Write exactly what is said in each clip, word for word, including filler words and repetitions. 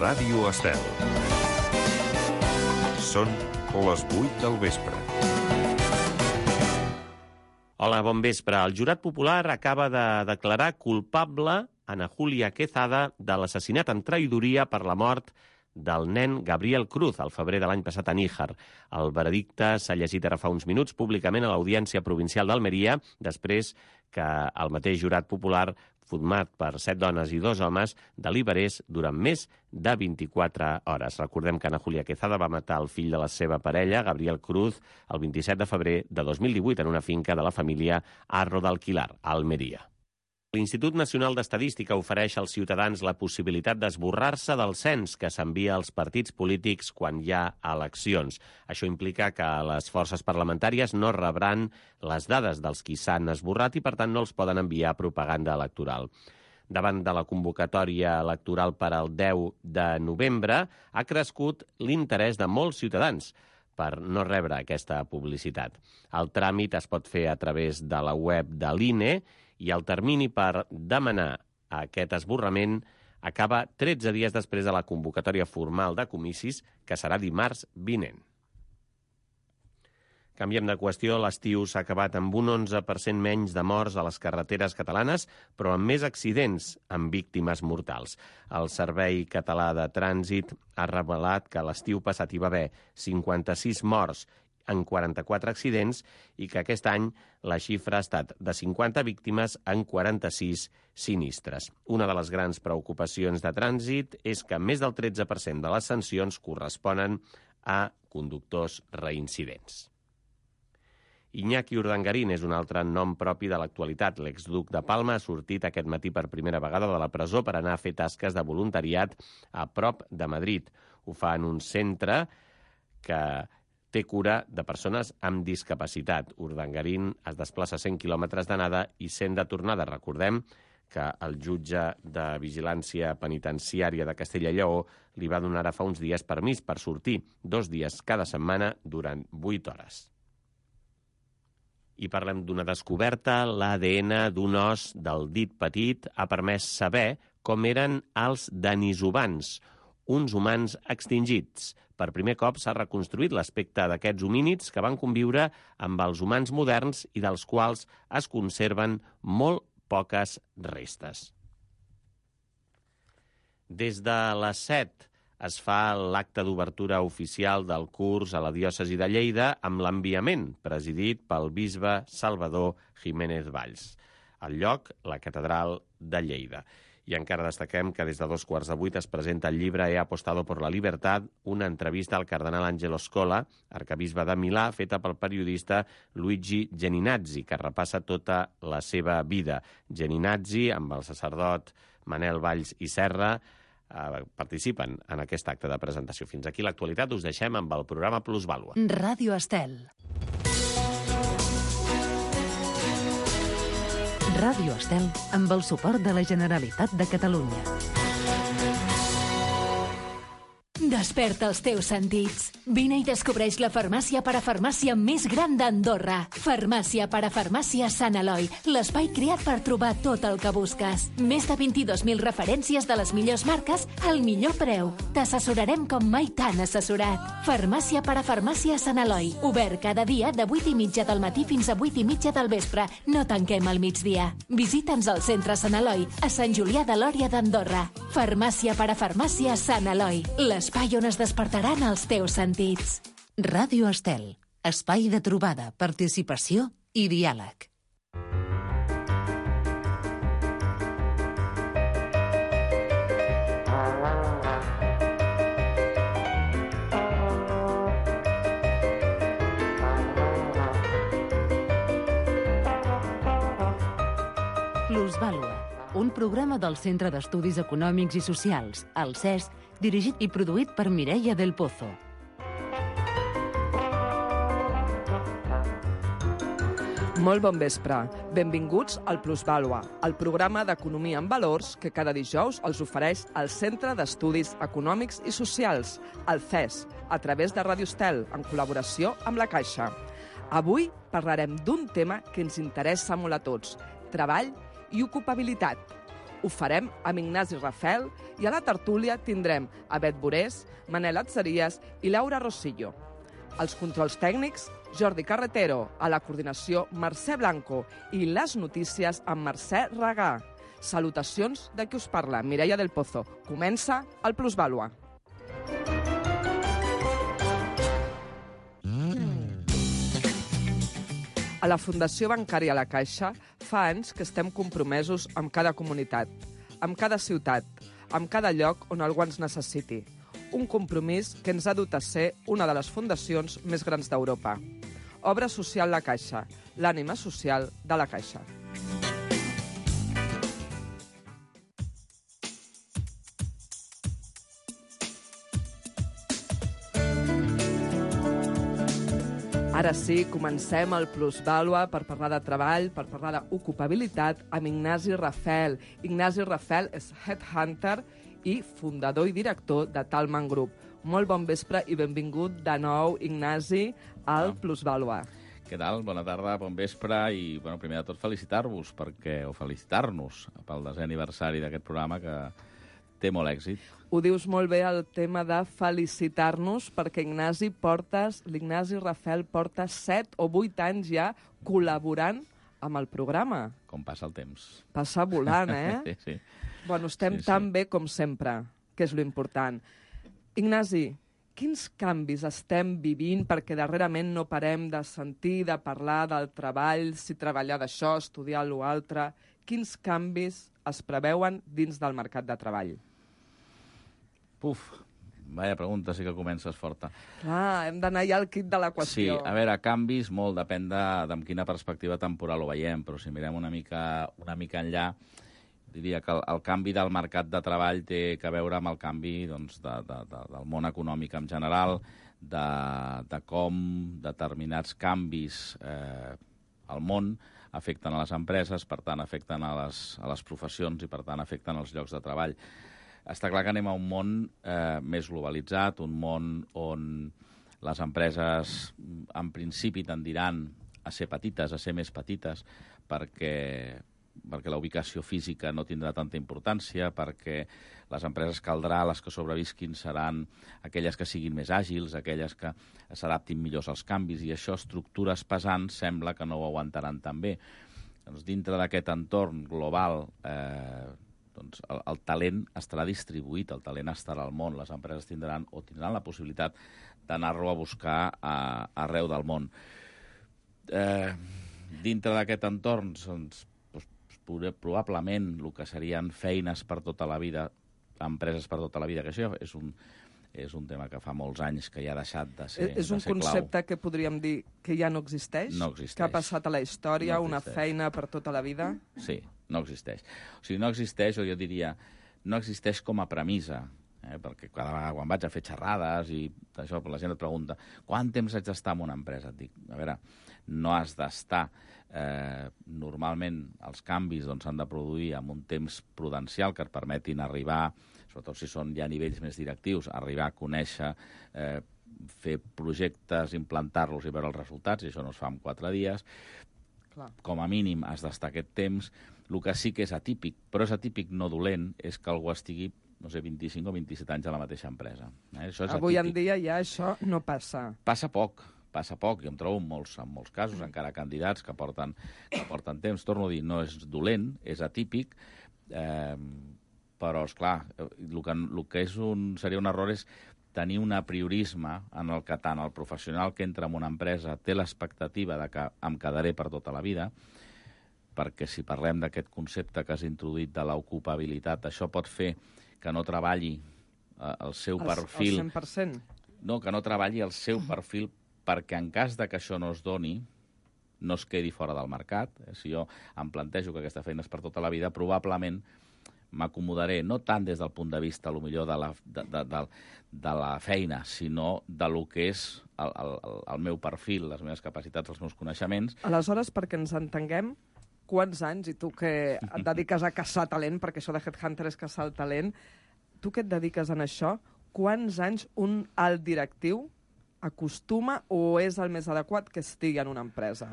Ràdio Estel. Són les vuit del vespre. Hola, bon vespre. El jurat popular acaba de declarar culpable Ana Julia Quezada de l'assassinat amb traïdoria per la mort del nen Gabriel Cruz al febrer de l'any passat a Níjar. El veredicte s'ha llegit ara fa uns minuts públicament a l'Audiència Provincial d'Almeria, després que el mateix jurat popular, format per set dones i dos homes, deliberés durant més de vint-i-quatre hores. Recordem que Ana Julia Quezada va matar el fill de la seva parella, Gabriel Cruz, el vint-i-set de febrer de dos mil divuit en una finca de la família Arro d'Alquilar, a Almeria. L'Institut Nacional d'Estadística ofereix als ciutadans la possibilitat d'esborrar-se del cens que s'envia als partits polítics quan hi ha eleccions. Això implica que les forces parlamentàries no rebran les dades dels qui s'han esborrat i, per tant, no els poden enviar propaganda electoral. Davant de la convocatòria electoral per al deu de novembre, ha crescut l'interès de molts ciutadans per no rebre aquesta publicitat. El tràmit es pot fer a través de la web de l'I N E i el termini per demanar aquest esborrament acaba tretze dies després de la convocatòria formal de comicis, que serà dimarts vinent. Canviem de qüestió. L'estiu s'ha acabat amb un onze per cent menys de morts a les carreteres catalanes, però amb més accidents amb víctimes mortals. El Servei Català de Trànsit ha revelat que l'estiu passat hi va haver cinquanta-sis morts en quaranta-quatre accidents i que aquest any la xifra ha estat de cinquanta víctimes en quaranta-sis sinistres. Una de les grans preocupacions de trànsit és que més del tretze per cent de les sancions corresponen a conductors reincidents. Iñaki Urdangarín és un altre nom propi de l'actualitat. L'exduc de Palma ha sortit aquest matí per primera vegada de la presó per anar a fer tasques de voluntariat a prop de Madrid. Ho fa en un centre que té cura de persones amb discapacitat. Urdangarín es desplaça cent quilòmetres d'anada i cent de tornada. Recordem que el jutge de Vigilància Penitenciària de Castella i Lleó li va donar ara fa uns dies permís per sortir dos dies cada setmana durant vuit hores. I parlem d'una descoberta. L'A D N d'un os del dit petit ha permès saber com eren els denisovans, uns humans extingits. Per primer cop s'ha reconstruït l'aspecte d'aquests homínids que van conviure amb els humans moderns i dels quals es conserven molt poques restes. Des de les set es fa l'acte d'obertura oficial del curs a la diòcesi de Lleida amb l'enviament, presidit pel bisbe Salvador Jiménez Valls. Al lloc, la catedral de Lleida. I encara destaquem que des de dos quarts de vuit es presenta el llibre He apostado por la libertad, una entrevista al cardenal Angelo Scola, arcabisbe de Milà, feta pel periodista Luigi Geninazzi, que repassa tota la seva vida. Geninazzi, amb el sacerdot Manel Valls i Serra, eh, participen en aquest acte de presentació. Fins aquí l'actualitat. Us deixem amb el programa Plusvàlua. Ràdio Estel. Ràdio Estel, amb el suport de la Generalitat de Catalunya. Desperta els teus sentits. Vine i descobreix la farmàcia parafarmàcia més gran d'Andorra. Farmàcia parafarmàcia Sant Eloi, l'espai creat per trobar tot el que busques. Més de vint-i-dos mil referències de les millors marques al millor preu. T'assessorarem com mai t'han assessorat. Farmàcia parafarmàcia Sant Eloi, obert cada dia de vuit i mitja del matí fins a vuit i mitja del vespre. No tanquem al migdia. Visita'ns al centre Sant Eloi, a Sant Julià de Lòria d'Andorra. Farmàcia parafarmàcia Sant Eloi, l'espai on es despertaran els teus sentits. Ràdio Estel, espai de trobada, participació i diàleg. Plusvàlua, un programa del Centre d'Estudis Econòmics i Socials, el C E S, dirigit i produït per Mireia del Pozo. Molt bon vespre. Benvinguts al Plusvàlua, el programa d'economia en valors que cada dijous els ofereix el Centre d'Estudis Econòmics i Socials, el C E S, a través de Ràdio Estel, en col·laboració amb la Caixa. Avui parlarem d'un tema que ens interessa molt a tots, treball i ocupabilitat. Ho farem amb Ignasi Rafel i a la tertúlia tindrem a Bet Borés, Manel Atzeries i Laura Rosillo. Els controls tècnics, Jordi Carretero, a la coordinació Mercè Blanco i les notícies amb Mercè Regà. Salutacions de qui us parla, Mireia del Pozo. Comença el Plusvàlua. A la Fundació Bancària La Caixa fa anys que estem compromesos amb cada comunitat, amb cada ciutat, amb cada lloc on algú ens necessiti. Un compromís que ens ha dut a ser una de les fundacions més grans d'Europa. Obra Social La Caixa, l'ànima social de la Caixa. Ara sí, comencem el Plusvàlua per parlar de treball, per parlar d'ocupabilitat amb Ignasi Rafel. Ignasi Rafel és headhunter i fundador i director de Talman Group. Molt bon vespre i benvingut de nou, Ignasi, al Plusvàlua. Què tal? Bona tarda, bon vespre i, bueno, primer de tot, felicitar-vos perquè o felicitar-nos pel desè aniversari d'aquest programa que té molt èxit. Ho dius molt bé, el tema de felicitar-nos, perquè Ignasi portes, l'Ignasi Rafel porta set o vuit anys ja col·laborant amb el programa. Com passa el temps. Passa volant, eh? Sí, sí. Bueno, estem sí, sí. tan bé com sempre, que és l'important. Ignasi, quins canvis estem vivint? Perquè darrerament no parem de sentir, de parlar del treball, si treballar d'això, estudiar l'altre. Quins canvis es preveuen dins del mercat de treball? Puf, vaya pregunta, sí que comences forta. Clar, hem d'anar ja al kit de la qüestió. Sí, a veure, canvis, molt depèn de, de amb quina perspectiva temporal ho veiem, però si mirem una mica, una mica enllà, diria que el, el canvi del mercat de treball té a veure amb el canvi doncs, de, de, de, del món econòmic en general, de, de com determinats canvis eh, al món afecten a les empreses, per tant afecten a les, a les professions i per tant afecten als llocs de treball. Està clar que anem a un món eh, més globalitzat, un món on les empreses en principi tendiran a ser petites, a ser més petites, perquè, perquè la ubicació física no tindrà tanta importància, perquè les empreses caldrà, les que sobrevisquin seran aquelles que siguin més àgils, aquelles que s'adaptin millor als canvis, i això, estructures pesants, sembla que no ho aguantaran tan bé. Doncs, dintre d'aquest entorn global, eh, doncs el, el talent estarà distribuït, el talent estarà al món, les empreses tindran o tindran la possibilitat d'anar-lo a buscar a, arreu del món. Eh, dintre d'aquest entorn, doncs, doncs, probablement el que serien feines per tota la vida, empreses per tota la vida, que això és un, és un tema que fa molts anys que ja ha deixat de ser clau. És un concepte que podríem dir que ja no existeix? No existeix. Que ha passat a la història, no una feina per tota la vida? Sí, no existeix. O sigui, no existeix, o jo diria, no existeix com a premissa, eh? Perquè cada vegada quan vaig a fer xerrades i això, la gent et pregunta quant temps haig d'estar en una empresa? Et dic, a veure, no has d'estar. Eh, normalment els canvis doncs, s'han de produir amb un temps prudencial que et permetin arribar, sobretot si són ja nivells més directius, arribar a conèixer, eh, fer projectes, implantar-los i veure els resultats, i això no es fa en quatre dies. Clar. Com a mínim has d'estar aquest temps. El que sí que és atípic, però és atípic no dolent, és que algú estigui, no sé, vint-i-cinc o vint-i-set anys a la mateixa empresa. Eh? Això és Avui atípic. en dia ja això no passa. Passa poc. Passa poc, jo em trobo en molts, en molts casos, encara candidats que porten, que porten temps. Torno a dir, no és dolent, és atípic, eh, però, esclar, el que, el que és un, seria un error és tenir un apriorisme en el que tant el professional que entra en una empresa té l'expectativa de que em quedaré per tota la vida, perquè si parlem d'aquest concepte que has introduït de l'ocupabilitat, això pot fer que no treballi eh, el seu el, perfil... El cent per cent? No, que no treballi el seu perfil perquè en cas de que això no es doni, no es quedi fora del mercat. Si jo em plantejo que aquesta feina és per tota la vida, probablement m'acomodaré, no tant des del punt de vista, potser de la, de, de, de, de la feina, sinó de lo que és el, el, el meu perfil, les meves capacitats, els meus coneixements. Aleshores, perquè ens entenguem, quants anys, i tu que et dediques a caçar talent, perquè això de Headhunter és caçar el talent, tu que et dediques en això, quants anys un alt directiu acostuma o és el més adequat que estigui en una empresa?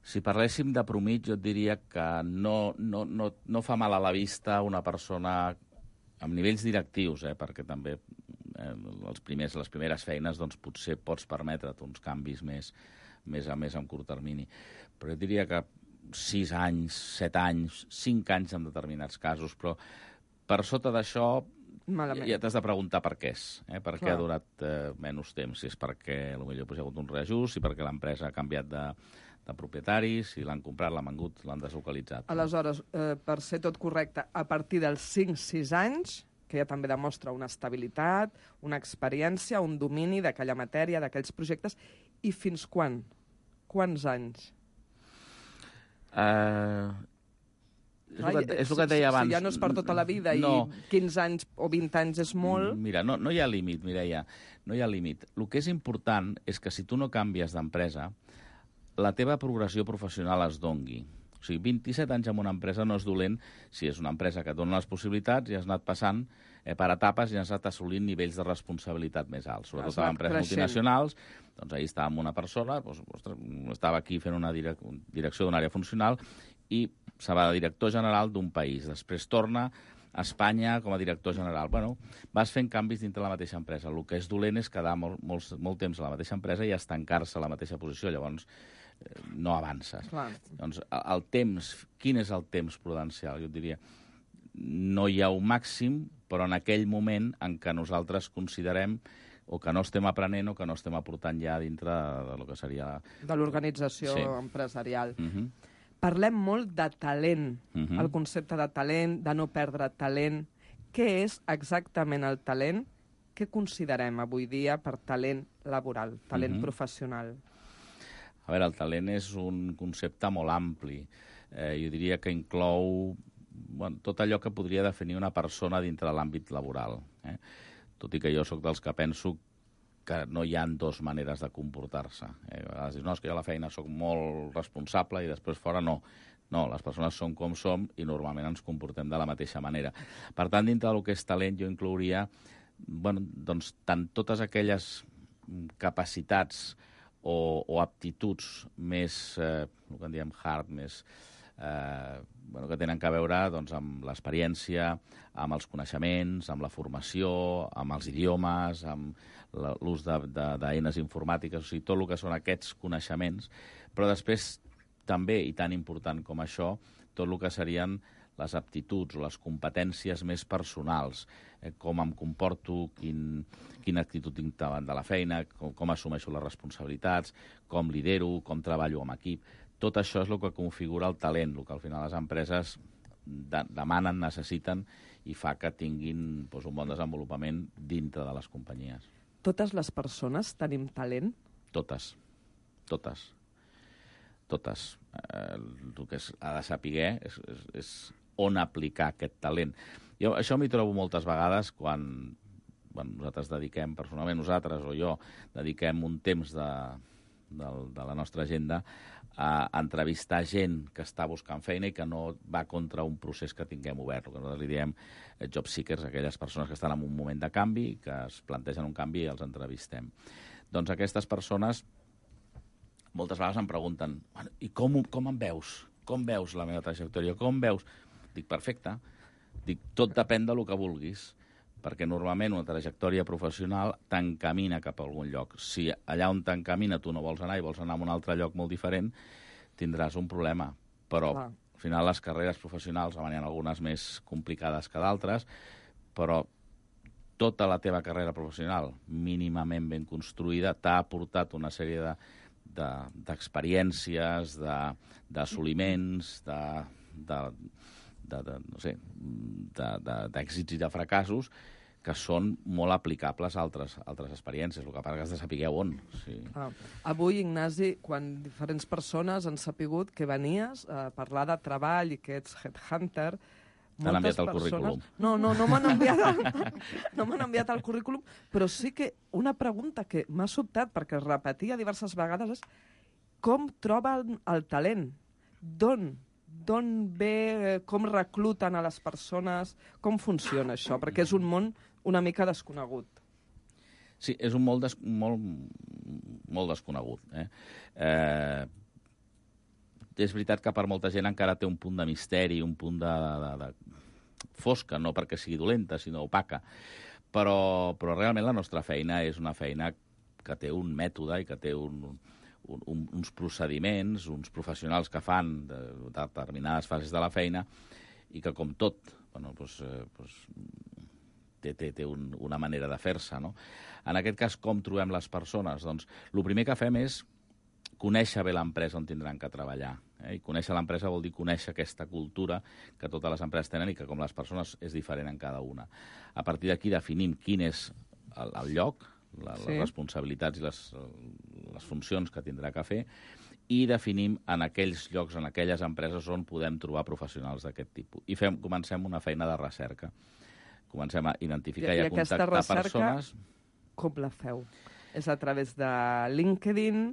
Si parléssim de promit, jo et diria que no, no, no, no fa mal a la vista una persona amb nivells directius, eh, perquè també eh, els primers, les primeres feines doncs, potser pots permetre't uns canvis més, més a més en curt termini. Però jo diria que sis anys, set anys, cinc anys en determinats casos, però per sota d'això Malament. ja t'has de preguntar per què és, eh? per què Clar. ha durat eh, menys temps, si és perquè potser hi ha hagut un reajust, si perquè l'empresa ha canviat de, de propietaris, si l'han comprat, l'han vengut, l'han deslocalitzat. Aleshores, eh, per ser tot correcte, a partir dels cinc sis anys, que ja també demostra una estabilitat, una experiència, un domini d'aquella matèria, d'aquells projectes, i fins quan? Quants anys? Uh, és, Clar, el que, és el que et deia abans. Si ja no és per tota la vida no. i quinze anys o vint anys és molt... Mira, no, no hi ha límit, Mireia, no hi ha límit. El que és important és que si tu no canvies d'empresa, la teva progressió professional es dongui. O sigui, vint-i-set anys en una empresa no és dolent si és una empresa que et dona les possibilitats i has anat passant eh, per etapes i has anat assolint nivells de responsabilitat més alts. Sobretot a empreses creixent. multinacionals, doncs ahir estava amb una persona, doncs, ostres, estava aquí fent una direc direcció d'una àrea funcional i se va de director general d'un país. Després torna a Espanya com a director general. Bueno, vas fent canvis dintre la mateixa empresa. El que és dolent és quedar molt, molt, molt temps a la mateixa empresa i estancar-se a la mateixa posició. Llavors, eh, no avances. Clar. Doncs el temps, quin és el temps prudencial? Jo et diria, no hi ha un màxim, però en aquell moment en què nosaltres considerem o que no estem aprenent o que no estem aportant ja dintre de, de lo que seria... De l'organització Sí. empresarial. Uh -huh. Parlem molt de talent, Uh -huh. el concepte de talent, de no perdre talent. Què és exactament el talent? Què considerem avui dia per talent laboral, talent Uh -huh. professional? A veure, el talent és un concepte molt ampli. Eh, jo diria que inclou bueno, tot allò que podria definir una persona dintre de l'àmbit laboral. Eh? Tot i que jo sóc dels que penso que no hi ha dues maneres de comportar-se. Eh? A vegades dius, no, és que jo a la feina sóc molt responsable i després fora no. No, les persones som com som i normalment ens comportem de la mateixa manera. Per tant, dintre del que és talent, jo inclouria bueno, doncs, tant totes aquelles capacitats o, o aptituds més, eh, el que en diem hard, més, eh, bueno, que tenen a veure doncs, amb l'experiència, amb els coneixements, amb la formació, amb els idiomes, amb l'ús d'eines informàtiques, o sigui, tot el que són aquests coneixements, però després també, i tan important com això, tot el que serien les aptituds o les competències més personals, eh, com em comporto, quin, quina actitud tinc davant de la feina, com, com assumeixo les responsabilitats, com lidero, com treballo amb equip. Tot això és el que configura el talent, el que al final les empreses de, demanen, necessiten i fa que tinguin doncs, un bon desenvolupament dintre de les companyies. Totes les persones tenim talent? Totes. Totes. Totes. Eh, el que es, ha de saber és, és, és on aplicar aquest talent. Jo això m'hi trobo moltes vegades quan bueno, nosaltres dediquem, personalment nosaltres o jo, dediquem un temps de, de, de la nostra agenda a entrevistar gent que està buscant feina i que no va contra un procés que tinguem obert. El que nosaltres li diem job seekers, aquelles persones que estan en un moment de canvi, que es plantegen un canvi i els entrevistem. Doncs aquestes persones moltes vegades em pregunten bueno, i com, com em veus? Com veus la meva trajectòria? Com veus? Dic, perfecte. Dic, tot depèn del que vulguis, perquè normalment una trajectòria professional t'encamina cap a algun lloc. Si allà on t'encamina tu no vols anar i vols anar a un altre lloc molt diferent, tindràs un problema. Però Clar. al final les carreres professionals, n'hi ha algunes més complicades que d'altres, però tota la teva carrera professional mínimament ben construïda t'ha aportat una sèrie de d'experiències, de, d'assoliments, de, de, de, de, no sé, d'èxits i de fracassos que són molt aplicables a altres, altres experiències. El que passa que has de saber on. Sí. Ah, avui, Ignasi, quan diferents persones han sapigut que venies a parlar de treball i que ets headhunter, T'han enviat el persones... currículum. No, no, no m'han enviat, el... no m'han enviat el currículum, però sí que una pregunta que m'ha sobtat, perquè es repetia diverses vegades, és com troben el talent? D'on? D'on ve? Com recluten a les persones? Com funciona això? Perquè és un món una mica desconegut. Sí, és un molt, des... molt, molt desconegut. Eh? Eh... és veritat que per molta gent encara té un punt de misteri, un punt de, de, de fosca, no perquè sigui dolenta, sinó opaca. Però, però realment la nostra feina és una feina que té un mètode i que té un, un, un, uns procediments, uns professionals que fan de, de determinades fases de la feina i que, com tot, bueno, doncs, eh, doncs, té, té, té un, una manera de fer-se, no? En aquest cas, com trobem les persones? Doncs el primer que fem és conèixer bé l'empresa on tindran que treballar. Eh? I conèixer l'empresa vol dir conèixer aquesta cultura que totes les empreses tenen i que, com les persones, és diferent en cada una. A partir d'aquí definim quin és el, el lloc, la, sí. les responsabilitats i les, les funcions que tindrà que fer, i definim en aquells llocs, en aquelles empreses on podem trobar professionals d'aquest tipus. I fem, comencem una feina de recerca. Comencem a identificar i, i a contactar recerca, persones. Com la feu? És a través de LinkedIn,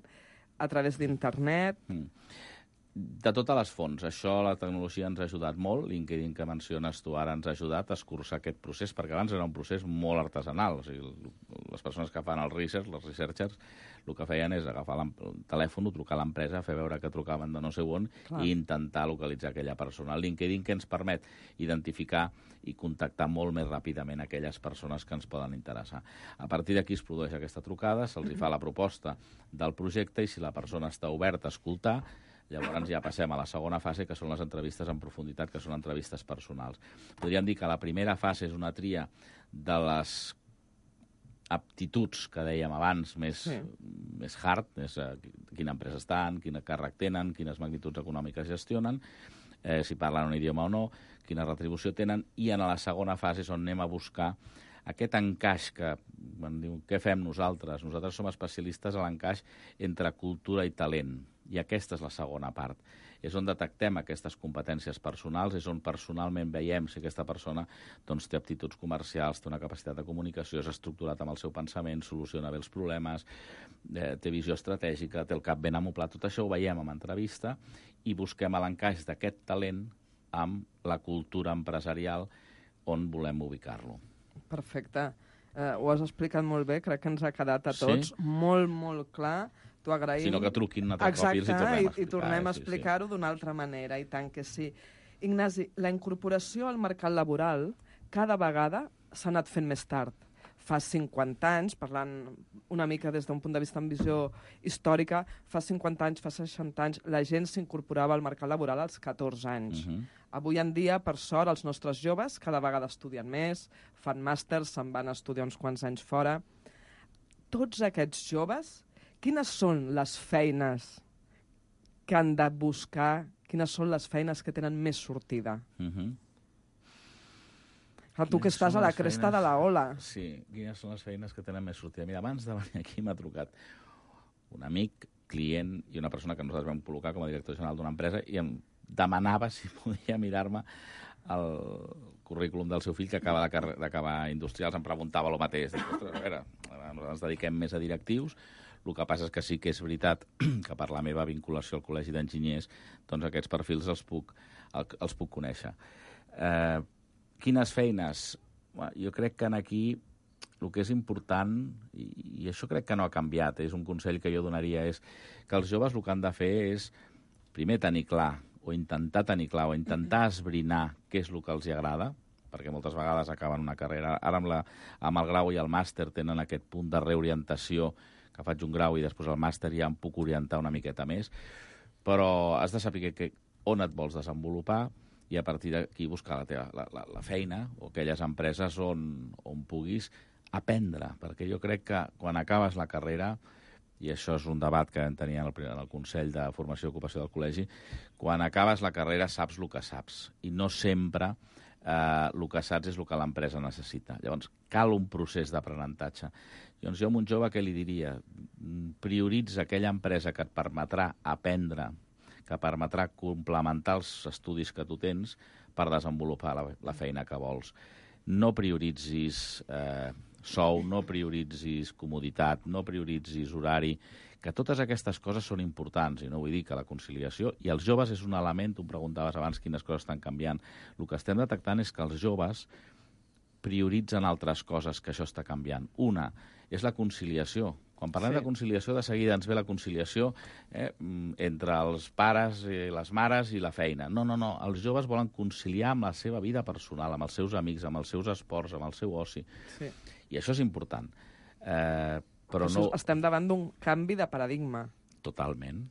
a través d'internet? Mm. De totes les fonts. Això, la tecnologia ens ha ajudat molt. LinkedIn, que menciones tu ara, ens ha ajudat a escurçar aquest procés, perquè abans era un procés molt artesanal. O sigui, les persones que fan el research, les researchers, el que feien és agafar el telèfon, trucar a l'empresa, fer veure que trucaven de no sé on, clar, i intentar localitzar aquella persona. El LinkedIn, que ens permet identificar i contactar molt més ràpidament aquelles persones que ens poden interessar. A partir d'aquí es produeix aquesta trucada, se'ls hi fa la proposta del projecte i si la persona està oberta a escoltar, llavors ja passem a la segona fase, que són les entrevistes en profunditat, que són entrevistes personals. Podríem dir que la primera fase és una tria de les aptituds que dèiem abans, més, sí. més hard, més, eh, quina empresa estan, quin càrrec tenen, quines magnituds econòmiques gestionen, eh, si parlen un idioma o no, quina retribució tenen, i en la segona fase és on anem a buscar aquest encaix que, quan diu, què fem nosaltres? Nosaltres som especialistes a l'encaix entre cultura i talent, i aquesta és la segona part. És on detectem aquestes competències personals, és on personalment veiem si aquesta persona doncs, té aptituds comercials, té una capacitat de comunicació, és estructurat amb el seu pensament, soluciona bé els problemes, eh, té visió estratègica, té el cap ben amoblat. Tot això ho veiem en entrevista i busquem l'encaix d'aquest talent amb la cultura empresarial on volem ubicar-lo. Perfecte. Eh, ho has explicat molt bé, crec que ens ha quedat a tots sí? molt, molt clar. T'ho agraïm. Sinó que truquin un altre cop i els hi tornem a explicar. I, i tornem a explicar-ho sí, sí. d'una altra manera, i tant que sí. Ignasi, la incorporació al mercat laboral cada vegada s'ha anat fent més tard. Fa cinquanta anys, parlant una mica des d'un punt de vista amb visió històrica, fa cinquanta anys, fa seixanta anys, la gent s'incorporava al mercat laboral als catorze anys. Uh-huh. Avui en dia, per sort, els nostres joves cada vegada estudien més, fan màsters, se'n van a estudiar uns quants anys fora. Tots aquests joves, quines són les feines que han de buscar, quines són les feines que tenen més sortida? Uh-huh. Ah, tu que estàs a la cresta feines... de la ola. Sí, quines són les feines que tenen més sortida? Mira, abans de venir aquí m'ha trucat un amic, client i una persona que nosaltres vam col·locar com a director general d'una empresa i em demanava si podia mirar-me el currículum del seu fill que acaba d'acabar industrials. Em preguntava el mateix. Dic, ostres, a veure, nosaltres ens dediquem més a directius. El que passa és que sí que és veritat que per la meva vinculació al Col·legi d'Enginyers doncs aquests perfils els puc, els puc conèixer. Eh, quines feines? Jo crec que aquí el que és important, i, i això crec que no ha canviat, és un consell que jo donaria, és que els joves el que han de fer és primer tenir clar, o intentar tenir clar, o intentar esbrinar què és el que els agrada, perquè moltes vegades acaben una carrera. Ara amb, la, amb el grau i el màster tenen aquest punt de reorientació, que faig un grau i després el màster ja em puc orientar una miqueta més, però has de saber que, on et vols desenvolupar i a partir d'aquí buscar la, teva, la, la, la feina o aquelles empreses on, on puguis aprendre, perquè jo crec que quan acabes la carrera, i això és un debat que vam tenir en el, en el Consell de Formació i Ocupació del Col·legi, quan acabes la carrera saps el que saps, i no sempre eh, el que saps és el que l'empresa necessita. Llavors, cal un procés d'aprenentatge. Llavors, jo a un jove què li diria? Prioritza aquella empresa que et permetrà aprendre, que permetrà complementar els estudis que tu tens per desenvolupar la, la feina que vols. No prioritzis eh, sou, no prioritzis comoditat, no prioritzis horari, que totes aquestes coses són importants, i no vull dir que la conciliació, i els joves és un element, tu em preguntaves abans quines coses estan canviant. El que estem detectant és que els joves prioritzen altres coses que això està canviant. Una és la conciliació. Quan parlem Sí. de conciliació, de seguida ens ve la conciliació eh, entre els pares, i les mares i la feina. No, no, no. Els joves volen conciliar amb la seva vida personal, amb els seus amics, amb els seus esports, amb el seu oci. Sí. I això és important. Eh, però Això, no... Estem davant d'un canvi de paradigma. Totalment,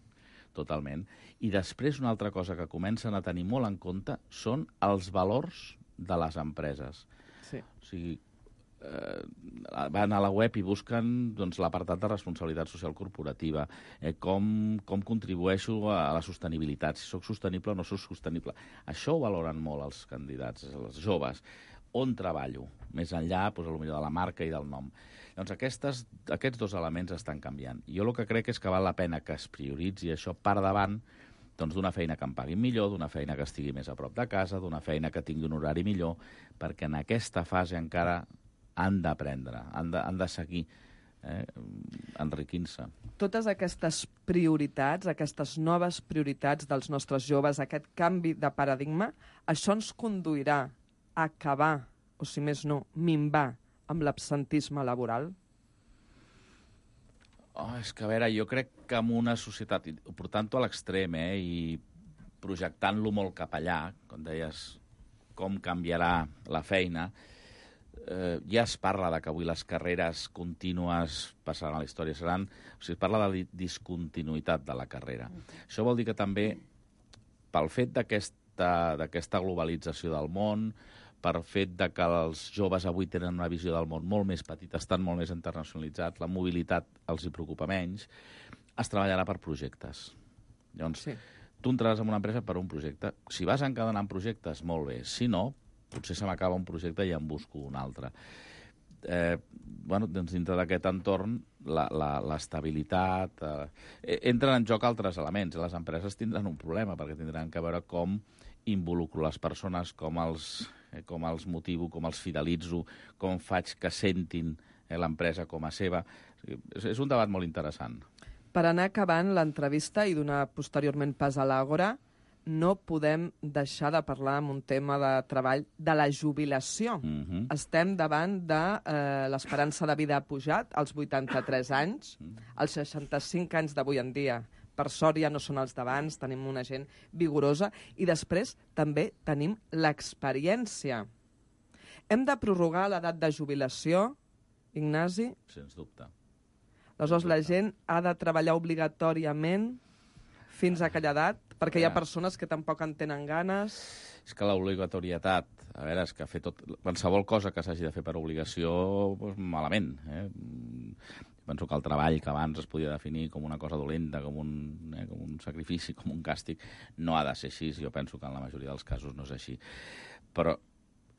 totalment. I després una altra cosa que comencen a tenir molt en compte són els valors de les empreses. Sí. O sigui, eh, van a la web i busquen doncs, l'apartat de responsabilitat social corporativa, eh, com, com contribueixo a la sostenibilitat, si sóc sostenible o no sóc sostenible. Això ho valoren molt els candidats, els joves. On treballo? Més enllà, doncs, potser de la marca i del nom. Doncs aquestes, aquests dos elements estan canviant. Jo el que crec és que val la pena que es prioritzi això per davant doncs, d'una feina que em paguin millor, d'una feina que estigui més a prop de casa, d'una feina que tingui un horari millor, perquè en aquesta fase encara han d'aprendre, han, de, han de seguir eh, enriquint-se. Totes aquestes prioritats, aquestes noves prioritats dels nostres joves, aquest canvi de paradigma, això ens conduirà a acabar, o si més no, minvar amb l'absentisme laboral? Oh, és que, a veure, jo crec que en una societat, portant-ho a l'extrem, eh, i projectant-lo molt cap allà, com deies, com canviarà la feina, eh, ja es parla de que avui les carreres contínues passaran a la història, seran... O sigui, es parla de discontinuïtat de la carrera. Mm. Això vol dir que també, pel fet d'aquesta d'aquesta globalització del món, per fet de que els joves avui tenen una visió del món molt més petita, estan molt més internacionalitzats, la mobilitat els hi preocupa menys, es treballarà per projectes. Llavors, sí. Tu entraràs en una empresa per un projecte. Si vas encadenant projectes, molt bé. Si no, potser se m'acaba un projecte i en busco un altre. Eh, bueno, doncs dintre d'aquest entorn, l'estabilitat... Eh, entren en joc altres elements. Les empreses tindran un problema, perquè tindran que veure com involucro les persones, com els, eh, com els motivo, com els fidelitzo, com faig que sentin eh, l'empresa com a seva. És, és un debat molt interessant. Per anar acabant l'entrevista i donar posteriorment pas a l'Àgora, no podem deixar de parlar amb un tema de treball de la jubilació. Mm-hmm. Estem davant de eh, l'esperança de vida ha pujat als vuitanta-tres anys, als seixanta-cinc anys d'avui en dia. Per sort ja no són els d'abans, tenim una gent vigorosa i després també tenim l'experiència. Hem de prorrogar l'edat de jubilació, Ignasi? Sens dubte. Aleshores, la gent ha de treballar obligatòriament fins a aquella edat, perquè hi ha persones que tampoc en tenen ganes. És que l'obligatorietat, a veure, és que fer tot... Qualsevol cosa que s'hagi de fer per obligació, doncs, malament. Eh? Penso que el treball que abans es podia definir com una cosa dolenta, com un, eh, com un sacrifici, com un càstig, no ha de ser així. Jo penso que en la majoria dels casos no és així. Però,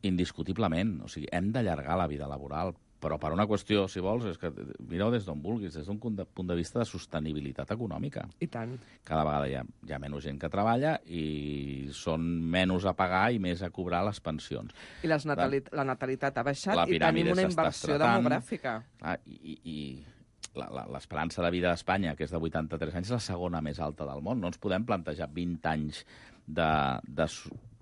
indiscutiblement, o sigui, hem d'allargar la vida laboral, però per una qüestió, si vols, és que mireu des d'on vulguis, des d'un punt de vista de sostenibilitat econòmica. I tant. Cada vegada hi ha, hi ha menys gent que treballa i són menys a pagar i més a cobrar les pensions. I les natalit la natalitat ha baixat la i tenim una inversió estratant, demogràfica. Clar, I i l'esperança de vida d'Espanya, que és de vuitanta-tres anys, és la segona més alta del món. No ens podem plantejar vint anys de, de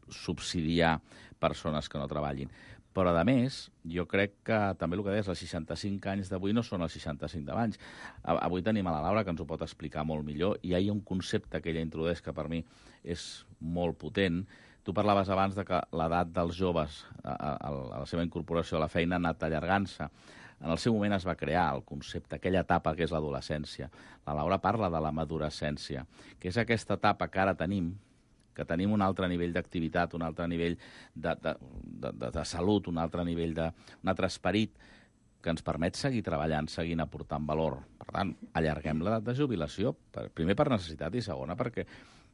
subsidiar persones que no treballin. Però, a més, jo crec que també el que deies, els seixanta-cinc anys d'avui no són els seixanta-cinc d'abans. Avui tenim a la Laura, que ens ho pot explicar molt millor, i hi ha un concepte que ella introdueix que per mi és molt potent. Tu parlaves abans de que l'edat dels joves a, a, a la seva incorporació a la feina ha anat allargant-se. En el seu moment es va crear el concepte, aquella etapa que és l'adolescència. La Laura parla de la madurescència, que és aquesta etapa que ara tenim, que tenim un altre nivell d'activitat, un altre nivell de, de, de, de, de salut, un altre nivell de... un altre esperit que ens permet seguir treballant, seguint aportant valor. Per tant, allarguem l'edat de jubilació, per, primer per necessitat i segona perquè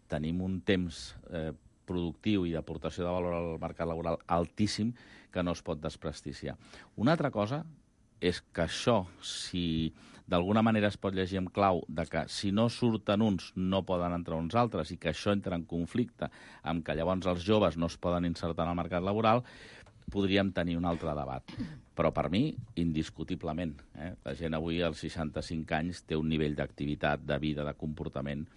tenim un temps eh, productiu i d'aportació de valor al mercat laboral altíssim que no es pot despresticiar. Una altra cosa és que això, si d'alguna manera es pot llegir en clau de que si no surten uns no poden entrar uns altres i que això entra en conflicte amb que llavors els joves no es poden insertar en el mercat laboral, podríem tenir un altre debat. Però per mi, indiscutiblement, eh? La gent avui als seixanta-cinc anys té un nivell d'activitat, de vida, de comportament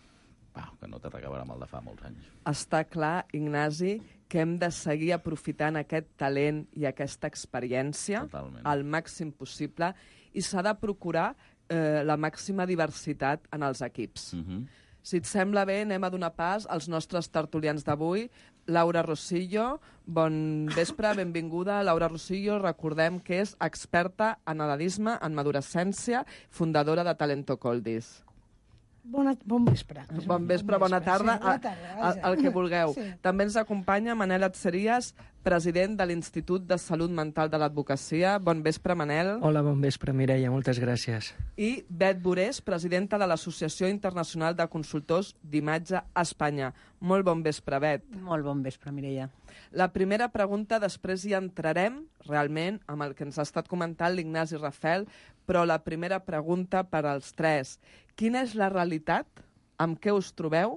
wow, que no té res a veure amb el de fa molts anys. Està clar, Ignasi, que hem de seguir aprofitant aquest talent i aquesta experiència Totalment. al màxim possible i s'ha de procurar eh, la màxima diversitat en els equips. Uh-huh. Si et sembla bé, anem a donar pas als nostres tertulians d'avui. Laura Rosillo, bon vespre, benvinguda. Laura Rosillo, recordem que és experta en edadisme, en madurescència, fundadora de Talento Coldis. Bona, bon vespre. Bon vespre, bona tarda, sí, bona tarda, el, el que vulgueu. Sí. També ens acompanya Manel Atzerías, president de l'Institut de Salut Mental de l'Advocacia. Bon vespre, Manel. Hola, bon vespre, Mireia, moltes gràcies. I Bet Borés, presidenta de l'Associació Internacional de Consultors d'Imatge a Espanya. Molt bon vespre, Bet. Molt bon vespre, Mireia. La primera pregunta, després hi entrarem realment amb el que ens ha estat comentant l'Ignasi Rafel, però la primera pregunta per als tres. Quina és la realitat? Amb què us trobeu?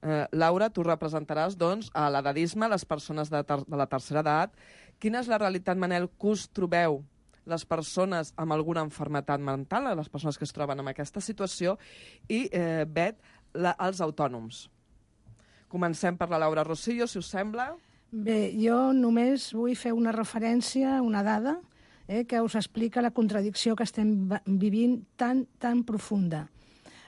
Eh, Laura, tu representaràs doncs, a l'edadisme, les persones de, ter de la tercera edat. Quina és la realitat, Manel, que us trobeu les persones amb alguna malaltia mental, les persones que es troben en aquesta situació, i, eh, Bet, la, els autònoms? Comencem per la Laura Rosillo, si us sembla. Bé, jo només vull fer una referència, una dada, eh, que us explica la contradicció que estem vivint tan, tan profunda.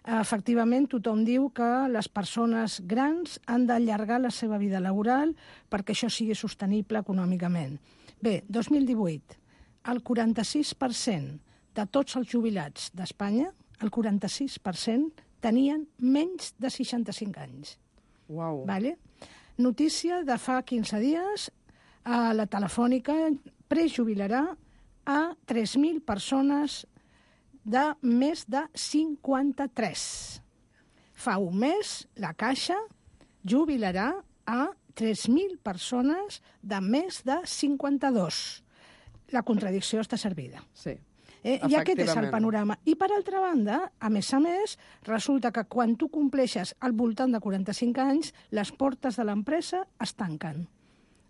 Efectivament, tothom diu que les persones grans han d'allargar la seva vida laboral perquè això sigui sostenible econòmicament. Bé, dos mil divuit, el quaranta-sis per cent de tots els jubilats d'Espanya, el quaranta-sis per cent tenien menys de seixanta-cinc anys. Uau. Vale? Notícia de fa quinze dies, a la Telefònica prejubilarà a tres mil persones de més de cinquanta-tres. Fa un mes, la Caixa jubilarà a tres mil persones de més de cinquanta-dos. La contradicció està servida. Sí. Eh, I aquest és el panorama. I, per altra banda, a més a més, resulta que quan tu compleixes al voltant de quaranta-cinc anys, les portes de l'empresa es tanquen.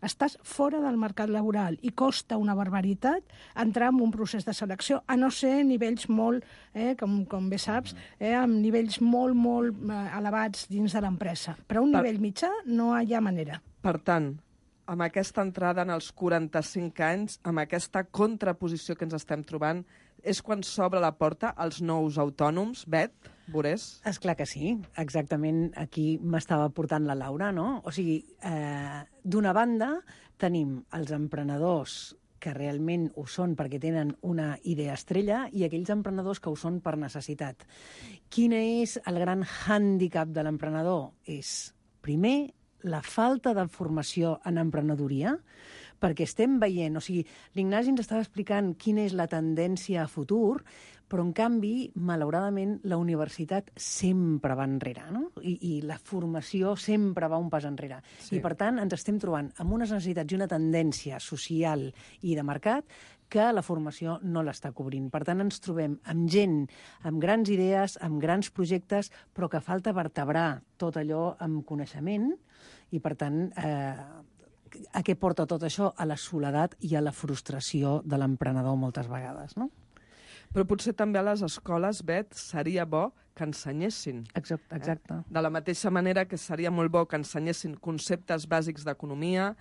Estàs fora del mercat laboral i costa una barbaritat entrar en un procés de selecció, a no ser nivells molt, eh, com, com bé saps, eh, amb nivells molt, molt eh, elevats dins de l'empresa. Però a un nivell mitjà no hi ha manera. Per tant, amb aquesta entrada en els quaranta-cinc anys, amb aquesta contraposició que ens estem trobant, és quan s'obre la porta als nous autònoms, Bet, Borés? És clar que sí, exactament aquí m'estava portant la Laura, no? O sigui, eh, d'una banda tenim els emprenedors que realment ho són perquè tenen una idea estrella i aquells emprenedors que ho són per necessitat. Quin és el gran hàndicap de l'emprenedor? És, primer, la falta de formació en emprenedoria, perquè estem veient, o sigui, l'Ignasi ens estava explicant quina és la tendència a futur, però, en canvi, malauradament, la universitat sempre va enrere, no? I, i la formació sempre va un pas enrere. Sí. I, per tant, ens estem trobant amb unes necessitats i una tendència social i de mercat que la formació no l'està cobrint. Per tant, ens trobem amb gent, amb grans idees, amb grans projectes, però que falta vertebrar tot allò amb coneixement i, per tant, eh, a què porta tot això? A la soledat i a la frustració de l'emprenedor moltes vegades, no? Però potser també a les escoles, Bet, seria bo que ensenyessin. Exacte, exacte. Eh? De la mateixa manera que seria molt bo que ensenyessin conceptes bàsics d'economia,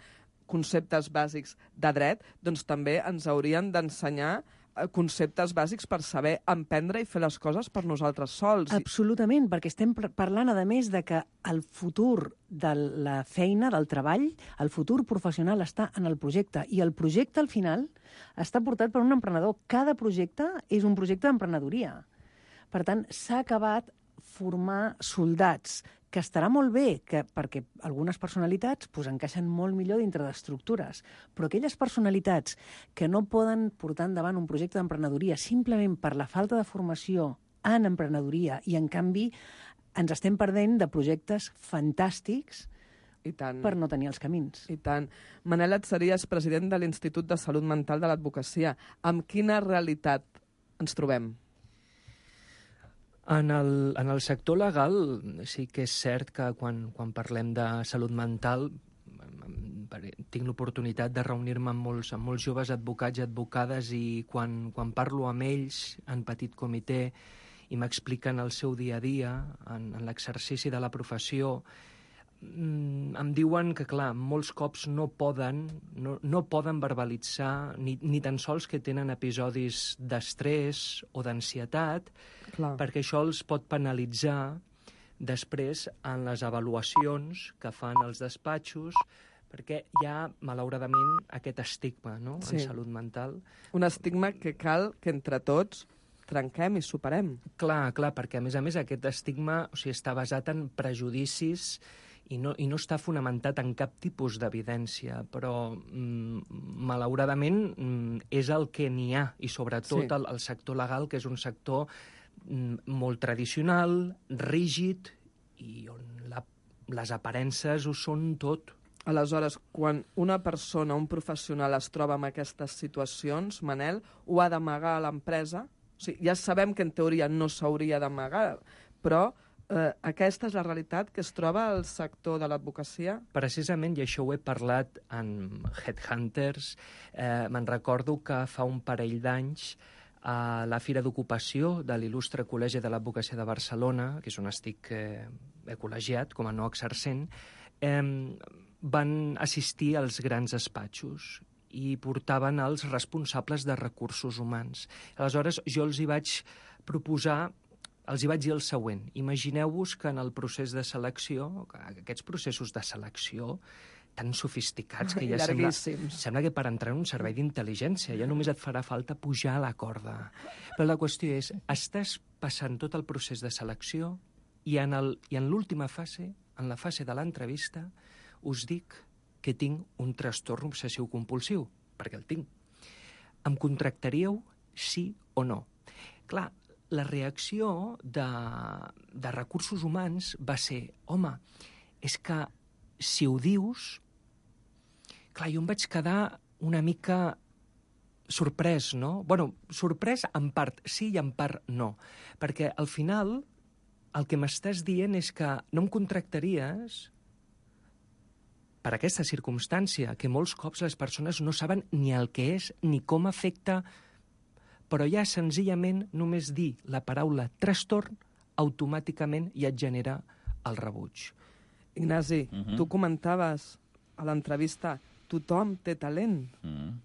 conceptes bàsics de dret, doncs també ens haurien d'ensenyar conceptes bàsics per saber emprendre i fer les coses per nosaltres sols. Absolutament, perquè estem parlant, a més, de que el futur de la feina, del treball, el futur professional està en el projecte, i el projecte, al final, està portat per un emprenedor. Cada projecte és un projecte d'emprenedoria. Per tant, s'ha acabat formar soldats, que estarà molt bé, que, perquè algunes personalitats pues, encaixen molt millor dintre d'estructures, però aquelles personalitats que no poden portar endavant un projecte d'emprenedoria simplement per la falta de formació en emprenedoria, i en canvi ens estem perdent de projectes fantàstics I tant. per no tenir els camins. I tant. Manel Atzerías, president de l'Institut de Salut Mental de l'Advocacia. Amb quina realitat ens trobem? En el, en el sector legal sí que és cert que quan, quan parlem de salut mental tinc l'oportunitat de reunir-me amb molts, amb molts joves advocats i advocades, i quan, quan parlo amb ells en petit comitè i m'expliquen el seu dia a dia en, en l'exercici de la professió, mm, em diuen que, clar, molts cops no poden, no, no poden verbalitzar ni, ni tan sols que tenen episodis d'estrès o d'ansietat, perquè això els pot penalitzar després en les avaluacions que fan els despatxos, perquè hi ha, malauradament, aquest estigma, no?, Sí. en salut mental. Un estigma que cal que entre tots trenquem i superem. Clar, clar, perquè a més a més aquest estigma, o sigui, està basat en prejudicis i no, i no està fonamentat en cap tipus d'evidència, però mm, malauradament mm, és el que n'hi ha, i sobretot Sí. el, el sector legal, que és un sector mm, molt tradicional, rígid, i on la, les aparences ho són tot. Aleshores, quan una persona, un professional es troba en aquestes situacions, Manel, ho ha d'amagar a l'empresa? O sigui, ja sabem que en teoria no s'hauria d'amagar, però eh, aquesta és la realitat que es troba al sector de l'advocacia? Precisament, i això ho he parlat amb Headhunters, eh, me'n recordo que fa un parell d'anys a la Fira d'Ocupació de l'il·lustre Col·legi de l'Advocacia de Barcelona, que és on estic eh, col·legiat com a no exercent, eh, van assistir als grans despatxos i portaven els responsables de recursos humans. Aleshores, jo els hi vaig proposar, els hi vaig dir el següent. Imagineu-vos que en el procés de selecció, aquests processos de selecció tan sofisticats que ja sembla, sembla que per entrar en un servei d'intel·ligència ja només et farà falta pujar a la corda. Però la qüestió és, estàs passant tot el procés de selecció i en, el, i en l'última fase, en la fase de l'entrevista, us dic que tinc un trastorn obsessiu-compulsiu, perquè el tinc. Em contractaríeu sí o no? Clar, la reacció de, de recursos humans va ser, home, és que si ho dius... Clar, jo em vaig quedar una mica sorprès, no? Bueno, sorprès en part sí i en part no, perquè al final el que m'estàs dient és que no em contractaries per aquesta circumstància, que molts cops les persones no saben ni el que és ni com afecta, però ja senzillament només dir la paraula trastorn automàticament ja et genera el rebuig. Ignasi, Mhm. tu comentaves a l'entrevista tothom té talent, Mm.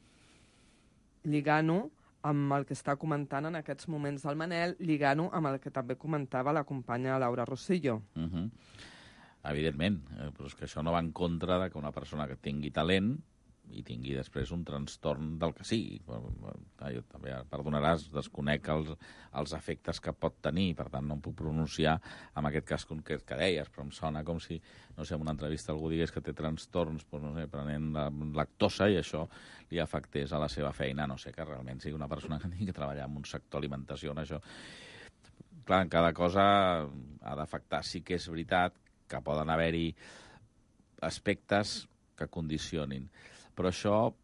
lligant-ho amb el que està comentant en aquests moments del Manel, lligant-ho amb el que també comentava la companya Laura Rosillo. Mm -hmm. Evidentment, eh, però és que això no va en contra de que una persona que tingui talent i tingui després un trastorn del que sigui. Ah, jo també, perdonaràs, desconec els, els efectes que pot tenir, per tant no em puc pronunciar en aquest cas concret que deies, però em sona com si, no sé, en una entrevista algú digués que té trastorns, doncs, no sé, prenent la lactosa i això li afectés a la seva feina, no sé, que realment sigui una persona que tingui que treballar en un sector alimentació, en això. Clar, en cada cosa ha d'afectar. Sí que és veritat que poden haver-hi aspectes que condicionin. Però això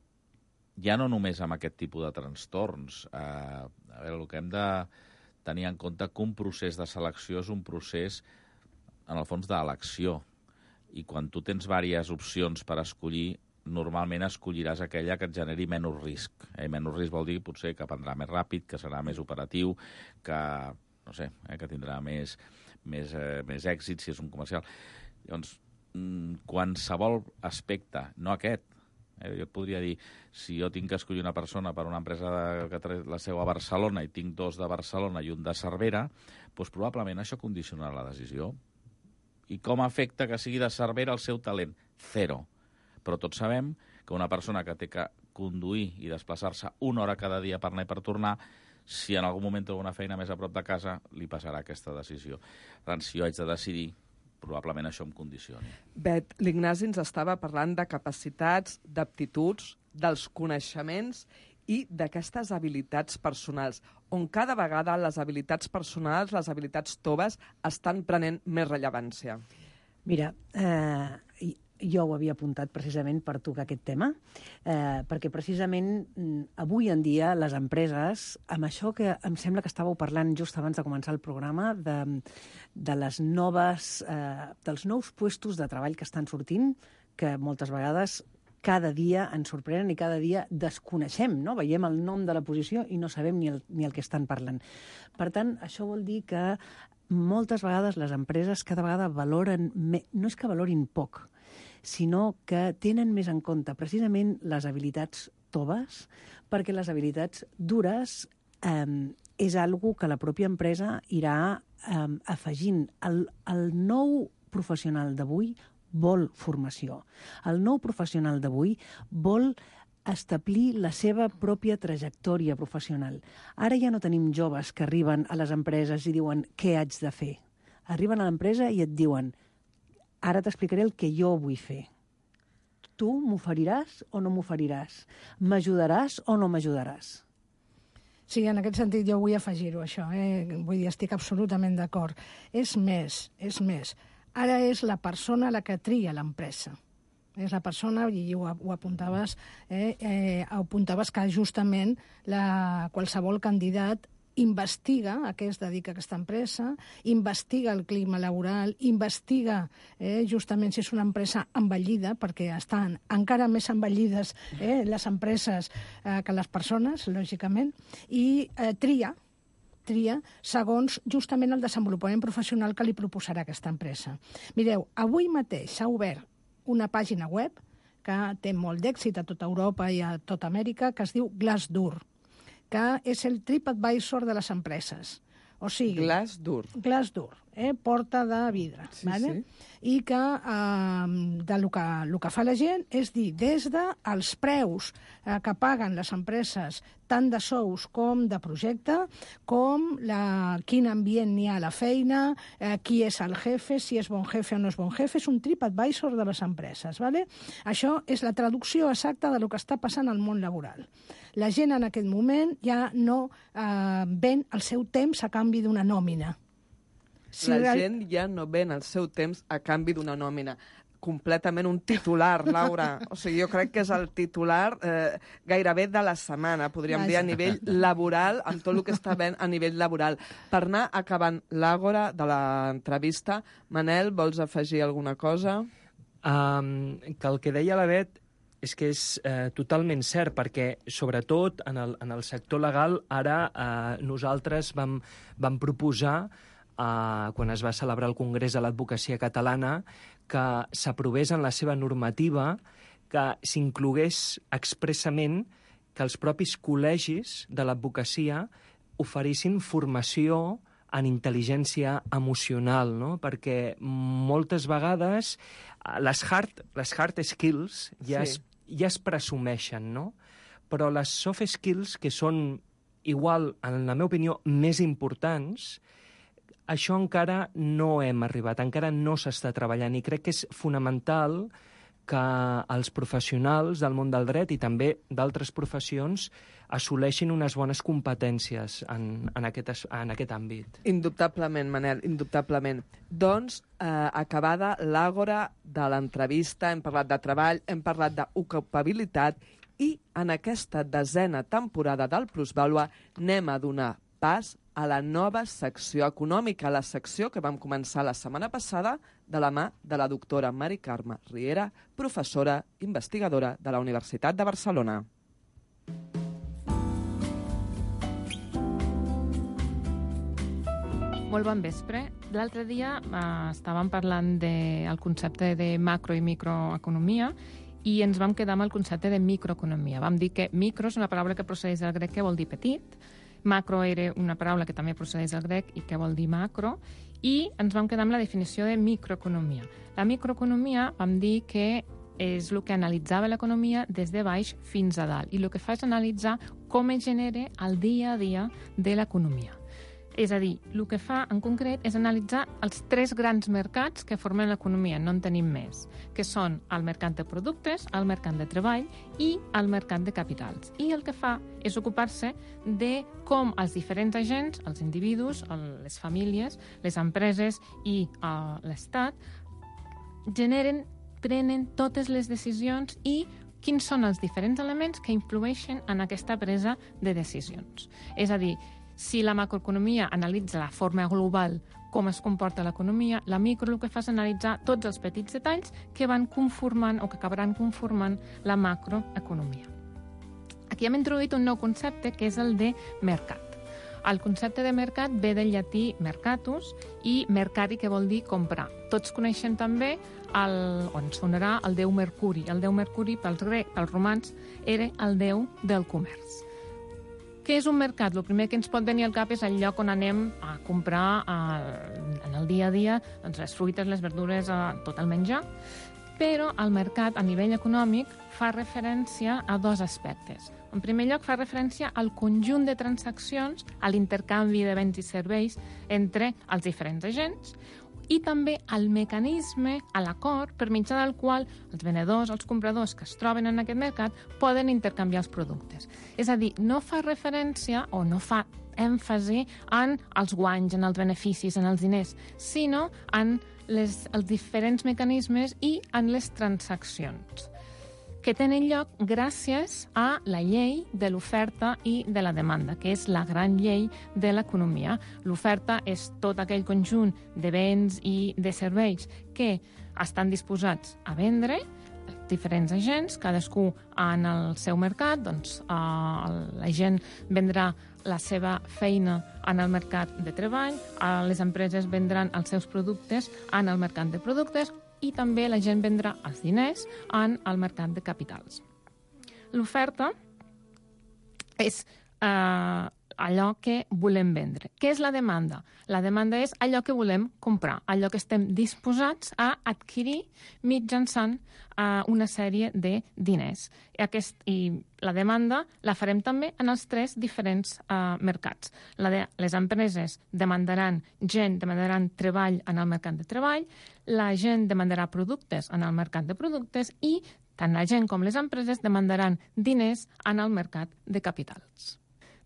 ja no només amb aquest tipus de trastorns. Eh, a veure, el que hem de tenir en compte que un procés de selecció és un procés, en el fons, d'elecció. I quan tu tens diverses opcions per escollir, normalment escolliràs aquella que et generi menys risc. Eh? Menys risc vol dir potser que prendrà més ràpid, que serà més operatiu, que, no sé, eh, que tindrà més, més, eh, més èxit si és un comercial. Llavors, qualsevol aspecte, no aquest, eh, jo et podria dir, si jo tinc que escollir una persona per una empresa de, que té la seu a Barcelona i tinc dos de Barcelona i un de Cervera, doncs probablement això condicionarà la decisió. I com afecta que sigui de Cervera el seu talent? Zero. Però tots sabem que una persona que té que conduir i desplaçar-se una hora cada dia per anar i per tornar, si en algun moment troba una feina més a prop de casa, li passarà aquesta decisió. Per tant, si jo haig de decidir, probablement això em condicioni. Bet, l'Ignasi ens estava parlant de capacitats, d'aptituds, dels coneixements i d'aquestes habilitats personals, on cada vegada les habilitats personals, les habilitats toves, estan prenent més rellevància. Mira, eh, jo ho havia apuntat precisament per tocar aquest tema, eh, perquè precisament avui en dia les empreses, amb això que em sembla que estàveu parlant just abans de començar el programa, de, de les noves, eh, dels nous puestos de treball que estan sortint, que moltes vegades cada dia ens sorprenen i cada dia desconeixem, no? Veiem el nom de la posició i no sabem ni el, ni el que estan parlant. Per tant, això vol dir que moltes vegades les empreses cada vegada valoren, me... no és que valorin poc, sinó que tenen més en compte precisament les habilitats toves, perquè les habilitats dures eh, és algo que la pròpia empresa irà eh, afegint. El, el nou professional d'avui vol formació. El nou professional d'avui vol establir la seva pròpia trajectòria professional. Ara ja no tenim joves que arriben a les empreses i diuen què haig de fer. Arriben a l'empresa i et diuen ara t'explicaré el que jo vull fer. Tu m'oferiràs o no m'oferiràs? M'ajudaràs o no m'ajudaràs? Sí, en aquest sentit jo vull afegir-ho, això. Eh? Vull dir, estic absolutament d'acord. És més, és més. Ara és la persona la que tria l'empresa. És la persona, i ho, ho apuntaves, eh, eh, apuntaves que justament la, qualsevol candidat investiga a què es dedica aquesta empresa, investiga el clima laboral, investiga eh, justament si és una empresa envellida, perquè estan encara més envellides eh, les empreses eh, que les persones, lògicament, i eh, tria, tria segons justament el desenvolupament professional que li proposarà aquesta empresa. Mireu, avui mateix s'ha obert una pàgina web que té molt d'èxit a tota Europa i a tota Amèrica, que es diu Glassdoor, que és el TripAdvisor de les empreses. O sigui... Glassdoor. Glassdoor, eh? Porta de vidre. Sí, vale? sí. I que eh, de lo que, lo que fa la gent és dir, des dels preus eh, que paguen les empreses, tant de sous com de projecte, com la, quin ambient n'hi ha a la feina, eh, qui és el jefe, si és bon jefe o no és bon jefe, és un TripAdvisor de les empreses. Vale? Això és la traducció exacta de lo que està passant al món laboral. La gent en aquest moment ja no eh, ven el seu temps a canvi d'una nòmina. Si la real... gent ja no ven el seu temps a canvi d'una nòmina. Completament un titular, Laura. O sigui, jo crec que és el titular eh, gairebé de la setmana, podríem Vaja. dir, a nivell laboral, amb tot el que està ben a nivell laboral. Per anar acabant l'àgora de l'entrevista, Manel, vols afegir alguna cosa? Um, que el que deia la Bet és que és eh, totalment cert, perquè sobretot en el, en el sector legal ara eh, nosaltres vam, vam proposar, eh, quan es va celebrar el Congrés de l'Advocacia Catalana, que s'aprovés en la seva normativa que s'inclogués expressament que els propis col·legis de l'advocacia oferissin formació en intel·ligència emocional, no? Perquè moltes vegades les hard, les hard skills ja, sí. es, ja es presumeixen, no? Però les soft skills, que són igual, en la meva opinió, més importants, això encara no hem arribat, encara no s'està treballant, i crec que és fonamental que els professionals del món del dret i també d'altres professions assoleixin unes bones competències en, en, aquest, en aquest àmbit. Indubtablement, Manel, indubtablement. Doncs, eh, acabada l'àgora de l'entrevista, hem parlat de treball, hem parlat d'ocupabilitat i en aquesta desena temporada del Plusvàlua anem a donar pas a la nova secció econòmica, la secció que vam començar la setmana passada de la mà de la doctora Mari Carme Riera, professora investigadora de la Universitat de Barcelona. Molt bon vespre. L'altre dia eh, estàvem parlant del concepte de macro i microeconomia i ens vam quedar amb el concepte de microeconomia. Vam dir que micro és una paraula que procedeix del grec que vol dir petit, macro era una paraula que també procedeix del grec i que vol dir macro, i ens vam quedar amb la definició de microeconomia. La microeconomia vam dir que és el que analitzava l'economia des de baix fins a dalt, i el que fa és analitzar com es genera el dia a dia de l'economia. És a dir, el que fa en concret és analitzar els tres grans mercats que formen l'economia, no en tenim més, que són el mercat de productes, el mercat de treball i el mercat de capitals. I el que fa és ocupar-se de com els diferents agents, els individus, les famílies, les empreses i uh, l'Estat, generen, prenen totes les decisions i quins són els diferents elements que influeixen en aquesta presa de decisions. És a dir, si la macroeconomia analitza la forma global com es comporta l'economia. La micro el que fa és analitzar tots els petits detalls que van conformant o que acabaran conformant la macroeconomia. Aquí hem introduït un nou concepte que és el de mercat. El concepte de mercat ve del llatí mercatus i mercari, que vol dir comprar. Tots coneixen també, el, o ens sonarà, el déu Mercuri. El déu Mercuri, pels grecs, pels romans, era el déu del comerç. Què és un mercat? El primer que ens pot venir al cap és el lloc on anem a comprar eh, en el dia a dia doncs, les fruites, les verdures, eh, tot el menjar. Però el mercat, a nivell econòmic, fa referència a dos aspectes. En primer lloc, fa referència al conjunt de transaccions, a l'intercanvi de béns i serveis entre els diferents agents, i també al mecanisme, a l'acord, per mitjà del qual els venedors, els compradors que es troben en aquest mercat poden intercanviar els productes. És a dir, no fa referència o no fa èmfasi en els guanys, en els beneficis, en els diners, sinó en les, els diferents mecanismes i en les transaccions, que tenen lloc gràcies a la llei de l'oferta i de la demanda, que és la gran llei de l'economia. L'oferta és tot aquell conjunt de béns i de serveis que estan disposats a vendre diferents agents, cadascú en el seu mercat. Doncs eh, la gent vendrà la seva feina en el mercat de treball, eh, les empreses vendran els seus productes en el mercat de productes, i també la gent vendrà els diners en el mercat de capitals. L'oferta és eh, allò que volem vendre. Què és la demanda? La demanda és allò que volem comprar, allò que estem disposats a adquirir mitjançant eh, una sèrie de diners. I, aquest, I la demanda la farem també en els tres diferents eh, mercats. La de, les empreses demandaran gent, demandaran treball en el mercat de treball, la gent demandarà productes en el mercat de productes i tant la gent com les empreses demandaran diners en el mercat de capitals.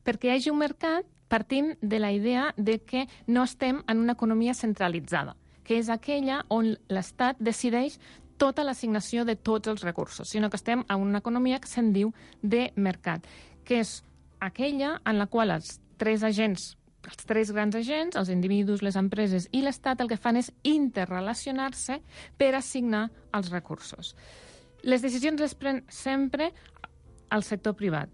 Perquè hi hagi un mercat, partim de la idea de que no estem en una economia centralitzada, que és aquella on l'Estat decideix tota l'assignació de tots els recursos, sinó que estem en una economia que se'n diu de mercat, que és aquella en la qual els tres agents, els tres grans agents, els individus, les empreses i l'Estat, el que fan és interrelacionar-se per assignar els recursos. Les decisions les pren sempre el sector privat,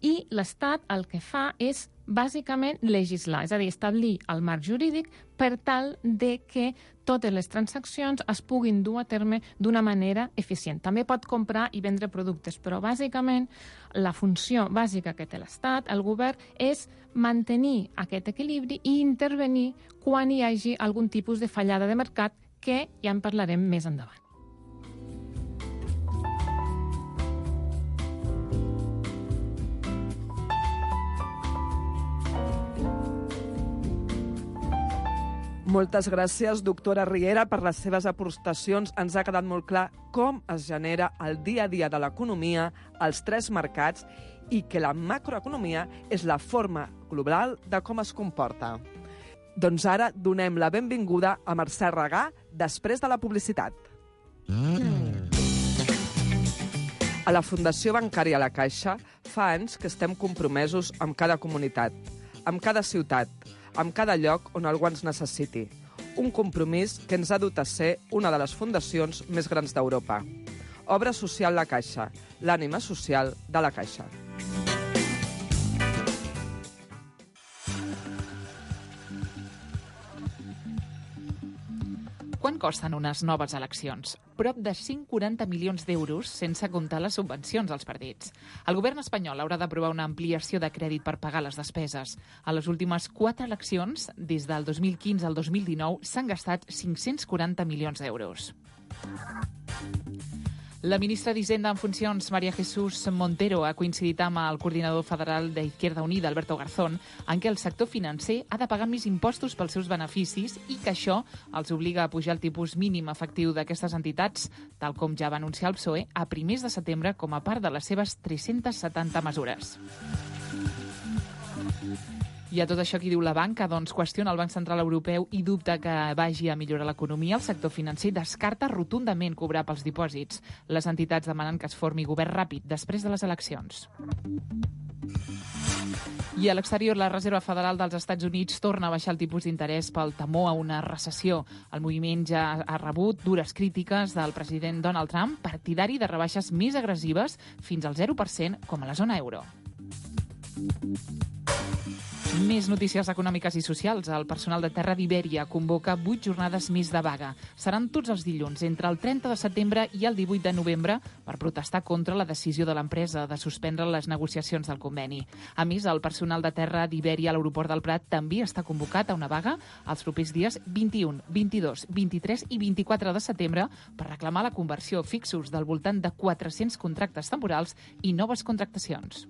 i l'Estat el que fa és bàsicament legislar, és a dir, establir el marc jurídic per tal de que totes les transaccions es puguin dur a terme d'una manera eficient. També pot comprar i vendre productes, però bàsicament la funció bàsica que té l'Estat, el govern, és mantenir aquest equilibri i intervenir quan hi hagi algun tipus de fallada de mercat, que ja en parlarem més endavant. Moltes gràcies, doctora Riera, per les seves aportacions. Ens ha quedat molt clar com es genera el dia a dia de l'economia, els tres mercats, i que la macroeconomia és la forma global de com es comporta. Doncs ara donem la benvinguda a Mercè Regà després de la publicitat. Mm. A la Fundació Bancària La Caixa fa anys que estem compromesos amb cada comunitat, amb cada ciutat, amb cada lloc on algú ens necessiti. Un compromís que ens ha dut a ser una de les fundacions més grans d'Europa. Obra Social La Caixa, l'ànima social de la Caixa. Quant costen unes noves eleccions? Prop de cent quaranta milions d'euros, sense comptar les subvencions als partits. El govern espanyol haurà d'aprovar una ampliació de crèdit per pagar les despeses. A les últimes quatre eleccions, des del dos mil quinze al dos mil dinou, s'han gastat cinc-cents quaranta milions d'euros. La ministra d'Hisenda en funcions, María Jesús Montero, ha coincidit amb el coordinador federal d'Izquierda Unida, Alberto Garzón, en què el sector financer ha de pagar més impostos pels seus beneficis i que això els obliga a pujar el tipus mínim efectiu d'aquestes entitats, tal com ja va anunciar el P S O E a primers de setembre com a part de les seves tres-centes setanta mesures. I a tot això, qui diu la banca? Doncs qüestiona el Banc Central Europeu i dubta que vagi a millorar l'economia. El sector financer descarta rotundament cobrar pels dipòsits. Les entitats demanen que es formi govern ràpid després de les eleccions. I a l'exterior, la Reserva Federal dels Estats Units torna a baixar el tipus d'interès pel temor a una recessió. El moviment ja ha rebut dures crítiques del president Donald Trump, partidari de rebaixes més agressives fins al zero per cent, com a la zona euro. Més notícies econòmiques i socials. El personal de Terra d'Ibèria convoca vuit jornades més de vaga. Seran tots els dilluns, entre el trenta de setembre i el divuit de novembre, per protestar contra la decisió de l'empresa de suspendre les negociacions del conveni. A més, el personal de Terra d'Ibèria a l'aeroport del Prat també està convocat a una vaga els propers dies vint-i-un, vint-i-dos, vint-i-tres i vint-i-quatre de setembre per reclamar la conversió fixos del voltant de quatre-cents contractes temporals i noves contractacions.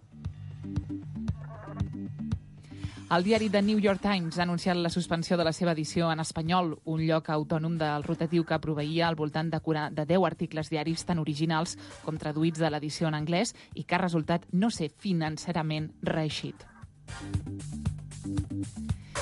El diari The New York Times ha anunciat la suspensió de la seva edició en espanyol, un lloc autònom del rotatiu que proveïa al voltant de, de deu articles diaris tan originals com traduïts de l'edició en anglès i que ha resultat no ser financerament reeixit.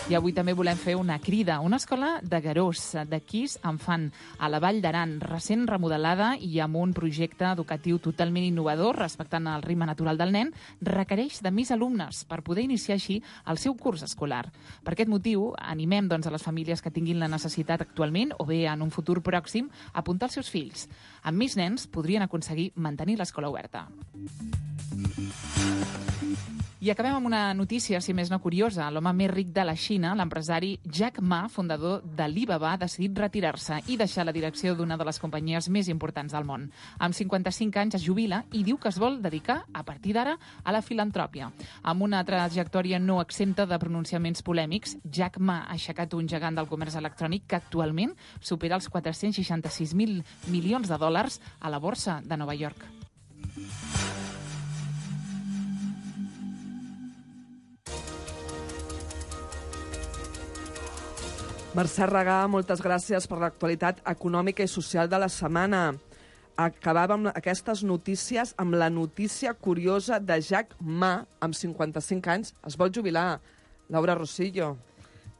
I avui també volem fer una crida. Una escola de Garós, de Quís en fan, a la Vall d'Aran, recent remodelada i amb un projecte educatiu totalment innovador, respectant el ritme natural del nen, requereix de més alumnes per poder iniciar així el seu curs escolar. Per aquest motiu, animem doncs, a les famílies que tinguin la necessitat actualment o bé en un futur pròxim a apuntar els seus fills. Amb més nens podrien aconseguir mantenir l'escola oberta. I acabem amb una notícia, si més no curiosa. L'home més ric de la Xina, l'empresari Jack Ma, fundador d'Alibaba, ha decidit retirar-se i deixar la direcció d'una de les companyies més importants del món. Amb cinquanta-cinc anys es jubila i diu que es vol dedicar, a partir d'ara, a la filantròpia. Amb una trajectòria no exempta de pronunciaments polèmics, Jack Ma ha aixecat un gegant del comerç electrònic que actualment supera els quatre-cents seixanta-sis mil milions de dòlars a la borsa de Nova York. Mercè Regà, moltes gràcies per l'actualitat econòmica i social de la setmana. Acabàvem aquestes notícies amb la notícia curiosa de Jack Ma, amb cinquanta-cinc anys, es vol jubilar. Laura Rosillo.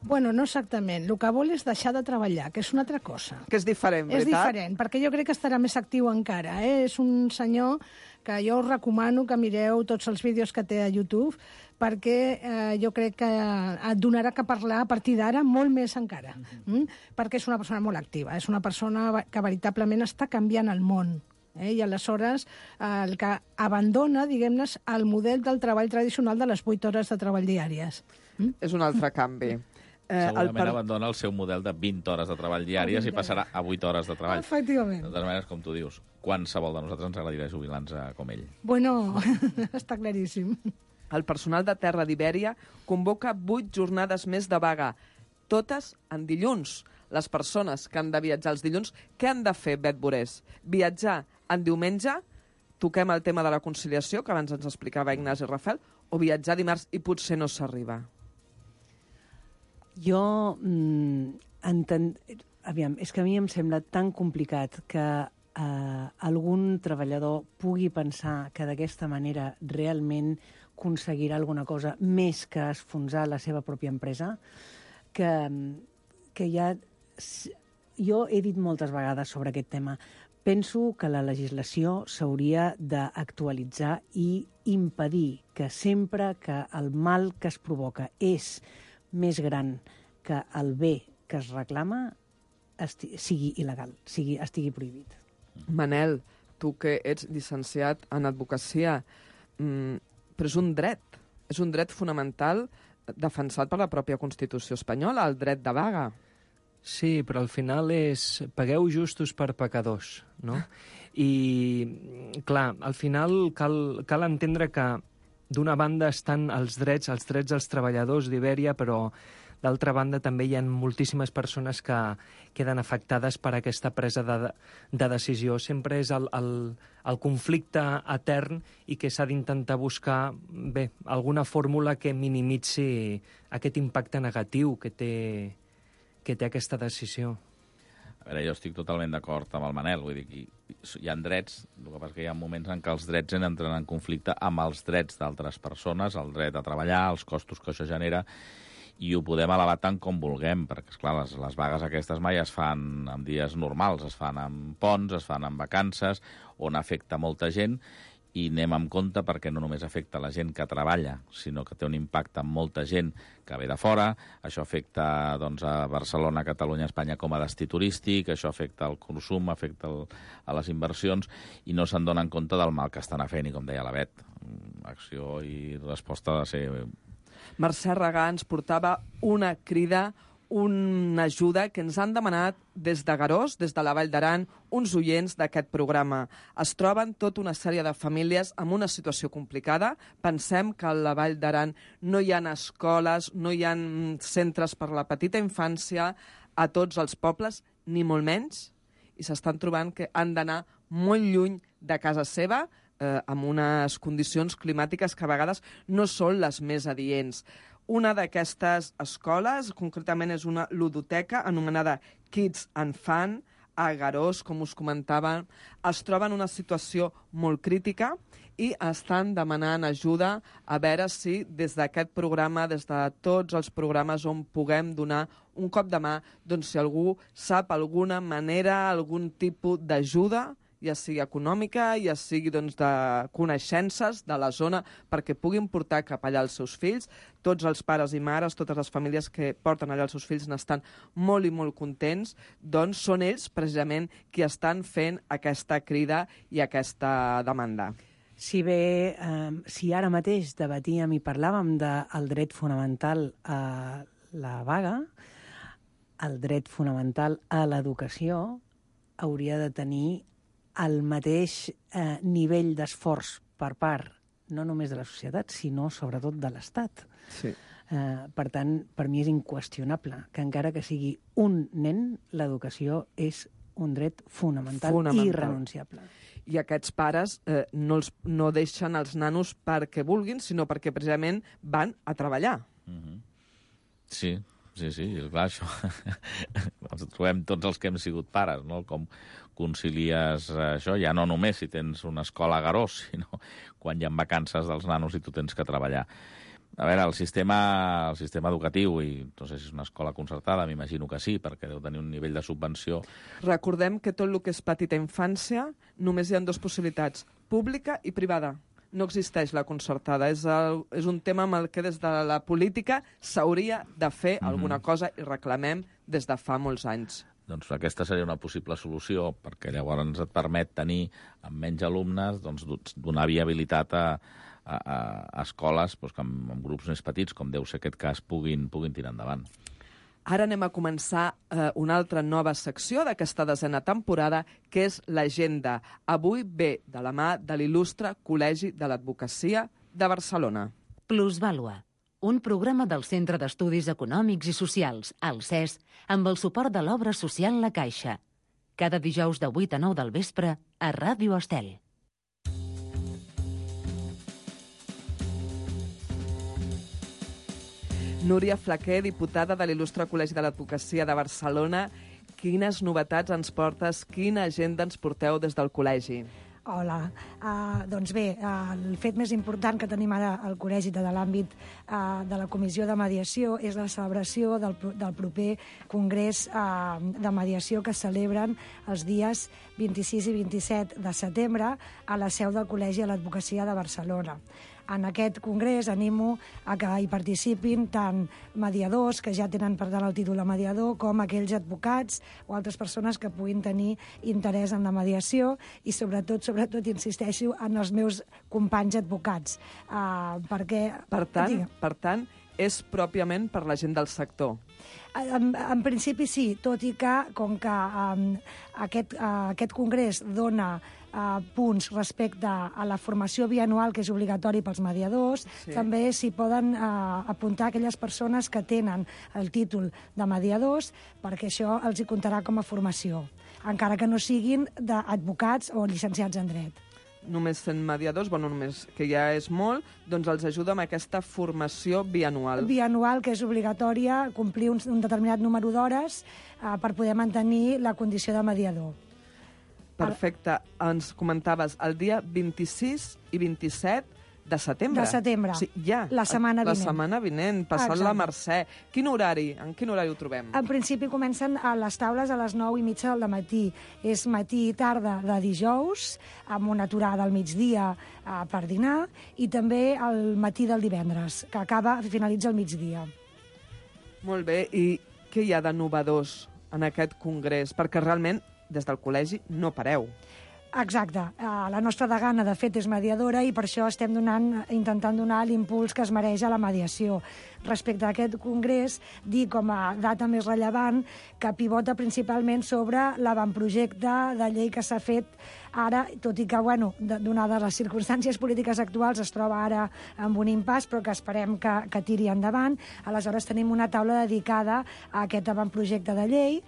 Bueno, no exactament. El que vol és deixar de treballar, que és una altra cosa. Que és diferent, veritat? És diferent, perquè jo crec que estarà més actiu encara. Eh? És un senyor que jo us recomano que mireu tots els vídeos que té a YouTube, perquè eh, jo crec que et donarà que parlar a partir d'ara molt més encara. Mm? Perquè és una persona molt activa, és una persona que veritablement està canviant el món. Eh? I aleshores eh, el que abandona, diguem-ne, el model del treball tradicional de les vuit hores de treball diàries. Mm? És un altre canvi. Eh, Segurament el per... abandona el seu model de vint hores de treball diàries i passarà a vuit hores de treball. Efectivament. De totes maneres, com tu dius, qualsevol de nosaltres ens agradaria jubilar-nos com ell. Bueno, està claríssim. El personal de Terra d'Ibèria convoca vuit jornades més de vaga, totes en dilluns. Les persones que han de viatjar els dilluns, què han de fer, Bet Borés? Viatjar en diumenge, toquem el tema de la conciliació, que abans ens explicava Ignasi Rafel, o viatjar dimarts i potser no s'arriba? Jo mm, enten... Aviam, és que a mi em sembla tan complicat que eh, algun treballador pugui pensar que d'aquesta manera realment aconseguirà alguna cosa més que esfonsar la seva pròpia empresa, que, que ja... Jo he dit moltes vegades sobre aquest tema. Penso que la legislació s'hauria d'actualitzar i impedir que sempre que el mal que es provoca és més gran que el bé que es reclama esti- sigui il·legal, sigui, estigui prohibit. Manel, tu que ets llicenciat en advocacia, mmm, però és un dret, és un dret fonamental defensat per la pròpia Constitució espanyola, el dret de vaga. Sí, però al final és pagueu justos per pecadors, no? I, clar, al final cal, cal entendre que d'una banda estan els drets, els drets dels treballadors d'Ibèria, però d'altra banda també hi ha moltíssimes persones que queden afectades per aquesta presa de, de decisió. Sempre és el, el, el conflicte etern i que s'ha d'intentar buscar bé, alguna fórmula que minimitzi aquest impacte negatiu que té, que té aquesta decisió. A veure, jo estic totalment d'acord amb el Manel, vull dir que hi ha drets, el que passa que hi ha moments en què els drets entren en conflicte amb els drets d'altres persones, el dret a treballar, els costos que això genera, i ho podem elevar tant com vulguem, perquè, esclar, les, les vagues aquestes mai es fan en dies normals, es fan en ponts, es fan en vacances, on afecta molta gent, i anem amb compte perquè no només afecta la gent que treballa, sinó que té un impacte en molta gent que ve de fora. Això afecta doncs, a Barcelona, Catalunya, Espanya com a destí turístic, això afecta el consum, afecta el, a les inversions, i no se'n donen compte del mal que estan fent, i com deia la Bet, acció i resposta ha de ser... Mercè Regà ens portava una crida, una ajuda que ens han demanat des de Garós, des de la Vall d'Aran, uns oients d'aquest programa. Es troben tota una sèrie de famílies en una situació complicada. Pensem que a la Vall d'Aran no hi ha escoles, no hi ha centres per la petita infància a tots els pobles, ni molt menys, i s'estan trobant que han d'anar molt lluny de casa seva, eh, amb unes condicions climàtiques que a vegades no són les més adients. Una d'aquestes escoles, concretament, és una ludoteca anomenada Kids and Fun, a Garós, com us comentava, es troba en una situació molt crítica i estan demanant ajuda a veure si des d'aquest programa, des de tots els programes on puguem donar un cop de mà, doncs si algú sap alguna manera, algun tipus d'ajuda, ja sigui econòmica, ja sigui doncs, de coneixences de la zona, perquè puguin portar cap allà els seus fills. Tots els pares i mares, totes les famílies que porten allà els seus fills n'estan molt i molt contents, doncs són ells precisament qui estan fent aquesta crida i aquesta demanda. Si bé, eh, si ara mateix debatíem i parlàvem del dret fonamental a la vaga, el dret fonamental a l'educació hauria de tenir el mateix eh, nivell d'esforç per part, no només de la societat, sinó sobretot de l'Estat. Sí. Eh, per tant, per mi és inqüestionable que encara que sigui un nen, l'educació és un dret fonamental, fonamental. i irrenunciable. I aquests pares eh, no, els, no deixen els nanos perquè vulguin, sinó perquè precisament van a treballar. Mm-hmm. Sí, sí, sí, és clar, això. Ens trobem tots els que hem sigut pares, no? Com concilies això, ja no només si tens una escola a Garós, sinó quan hi ha vacances dels nanos i tu tens que treballar. A veure, el sistema, el sistema educatiu, i no sé si és una escola concertada, m'imagino que sí, perquè deu tenir un nivell de subvenció. Recordem que tot el que és petita infància només hi ha dues possibilitats, pública i privada. No existeix la concertada. És, el, és un tema amb el que des de la política s'hauria de fer mm-hmm. alguna cosa i reclamem des de fa molts anys. Doncs aquesta seria una possible solució, perquè llavors et permet tenir, amb menys alumnes, doncs, donar viabilitat a, a, a escoles doncs, que amb, amb grups més petits, com deu ser aquest cas, puguin, puguin tirar endavant. Ara anem a començar eh, una altra nova secció d'aquesta desena temporada, que és l'agenda. Avui ve de la mà de l'il·lustre Col·legi de l'Advocacia de Barcelona. Plusvàlua, un programa del Centre d'Estudis Econòmics i Socials, el C E S, amb el suport de l'obra social La Caixa. Cada dijous de vuit a nou del vespre a Ràdio Estel. Núria Flaquer, diputada de l'il·lustre Col·legi de l'Advocacia de Barcelona. Quines novetats ens portes, quina agenda ens porteu des del col·legi? Hola. Uh, doncs bé, uh, el fet més important que tenim ara al col·legi de l'àmbit uh, de la Comissió de Mediació és la celebració del, del proper Congrés uh, de Mediació que es celebren els dies vint-i-sis i vint-i-set de setembre a la seu del Col·legi de l'Advocacia de Barcelona. En aquest congrés animo a que hi participin tant mediadors, que ja tenen per tant el títol de mediador, com aquells advocats o altres persones que puguin tenir interès en la mediació i sobretot, sobretot insisteixo, en els meus companys advocats. Uh, perquè... Per tant, per tant, és pròpiament per la gent del sector. En, en principi sí, tot i que, com que um, aquest, uh, aquest congrés dona Uh, punts respecte a la formació bianual que és obligatori pels mediadors, sí. També s'hi poden uh, apuntar aquelles persones que tenen el títol de mediadors, perquè això els hi comptarà com a formació, encara que no siguin d'advocats o llicenciats en dret. Només sent mediadors, bueno, només que ja és molt, doncs els ajuda amb aquesta formació bianual. Bianual, que és obligatòria complir un, un determinat número d'hores uh, per poder mantenir la condició de mediador. Perfecte. Ens comentaves el dia vint-i-sis i vint-i-set de setembre. De setembre. Sí, ja. La setmana La vinent. setmana vinent, passant Exacte. la Mercè. Quin horari? En quin horari ho trobem? En principi comencen a les taules a les nou i mitja del matí. És matí i tarda de dijous, amb una aturada al migdia eh, per dinar, i també el matí del divendres, que acaba, finalitza al migdia. Molt bé, i què hi ha de novedós en aquest congrés? Perquè realment, des del col·legi, no pareu. Exacte. Uh, la nostra degana, de fet, és mediadora i per això estem donant, intentant donar l'impuls que es mereix a la mediació. Respecte a aquest congrés, dir com a data més rellevant que pivota principalment sobre l'avantprojecte de llei que s'ha fet ara, tot i que, bueno, donades les circumstàncies polítiques actuals, es troba ara amb un impàs, però que esperem que, que tiri endavant. Aleshores, tenim una taula dedicada a aquest avantprojecte de llei,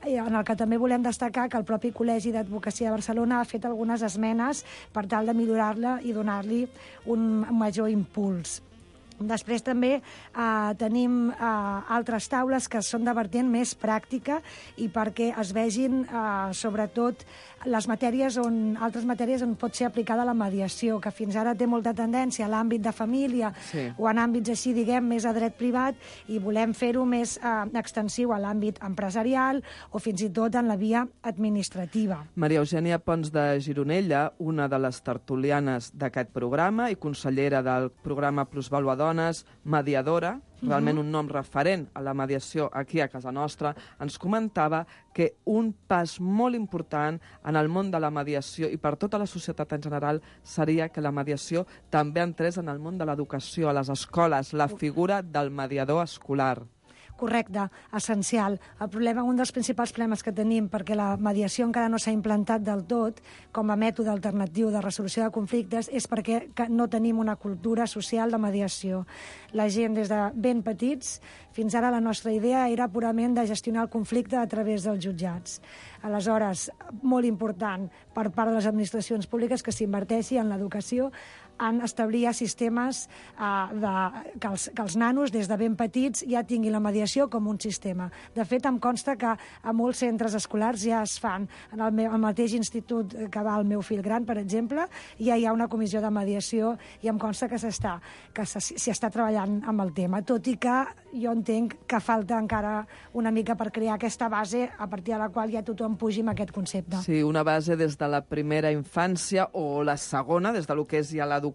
en el que també volem destacar que el propi Col·legi d'Advocacia de Barcelona ha fet algunes esmenes per tal de millorar-la i donar-li un major impuls. Després també eh, tenim eh, altres taules que són de vertent més pràctica i perquè es vegin eh, sobretot les matèries on, altres matèries on pot ser aplicada la mediació, que fins ara té molta tendència a l'àmbit de família Sí. o en àmbits així, diguem, més a dret privat, i volem fer-ho més eh, extensiu a l'àmbit empresarial o fins i tot en la via administrativa. Maria Eugènia Pons de Gironella, una de les tertulianes d'aquest programa i consellera del programa Plusvàlua Dones, mediadora, realment un nom referent a la mediació aquí a casa nostra, ens comentava que un pas molt important en el món de la mediació i per tota la societat en general seria que la mediació també entrés en el món de l'educació, a les escoles, la figura del mediador escolar. Correcte, essencial. El problema, un dels principals problemes que tenim, perquè la mediació encara no s'ha implantat del tot com a mètode alternatiu de resolució de conflictes, és perquè no tenim una cultura social de mediació. La gent, des de ben petits, fins ara la nostra idea era purament de gestionar el conflicte a través dels jutjats. Aleshores, molt important per part de les administracions públiques que s'inverteixi en l'educació, en establir sistemes eh, de, que, els, que els nanos des de ben petits ja tinguin la mediació com un sistema. De fet, em consta que a molts centres escolars ja es fan. En el, meu, el mateix institut que va el meu fill gran, per exemple, ja hi ha una comissió de mediació i em consta que s'està que s'hi està treballant amb el tema, tot i que jo entenc que falta encara una mica per crear aquesta base a partir de la qual ja tothom pugi amb aquest concepte. Sí, una base des de la primera infància o la segona, des de lo que és ja l'educació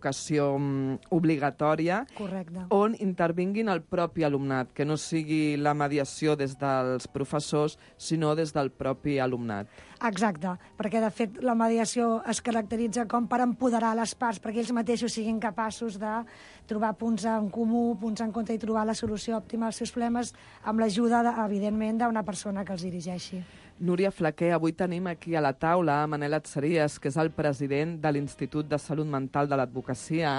obligatòria, Correcte. On intervinguin el propi alumnat, que no sigui la mediació des dels professors, sinó des del propi alumnat. Exacte, perquè de fet la mediació es caracteritza com per empoderar les parts, perquè ells mateixos siguin capaços de trobar punts en comú, punts en contra i trobar la solució òptima als seus problemes amb l'ajuda, evidentment, d'una persona que els dirigeixi. Núria Flaquer, avui tenim aquí a la taula Manel Atzeries, que és el president de l'Institut de Salut Mental de l'Advocacia.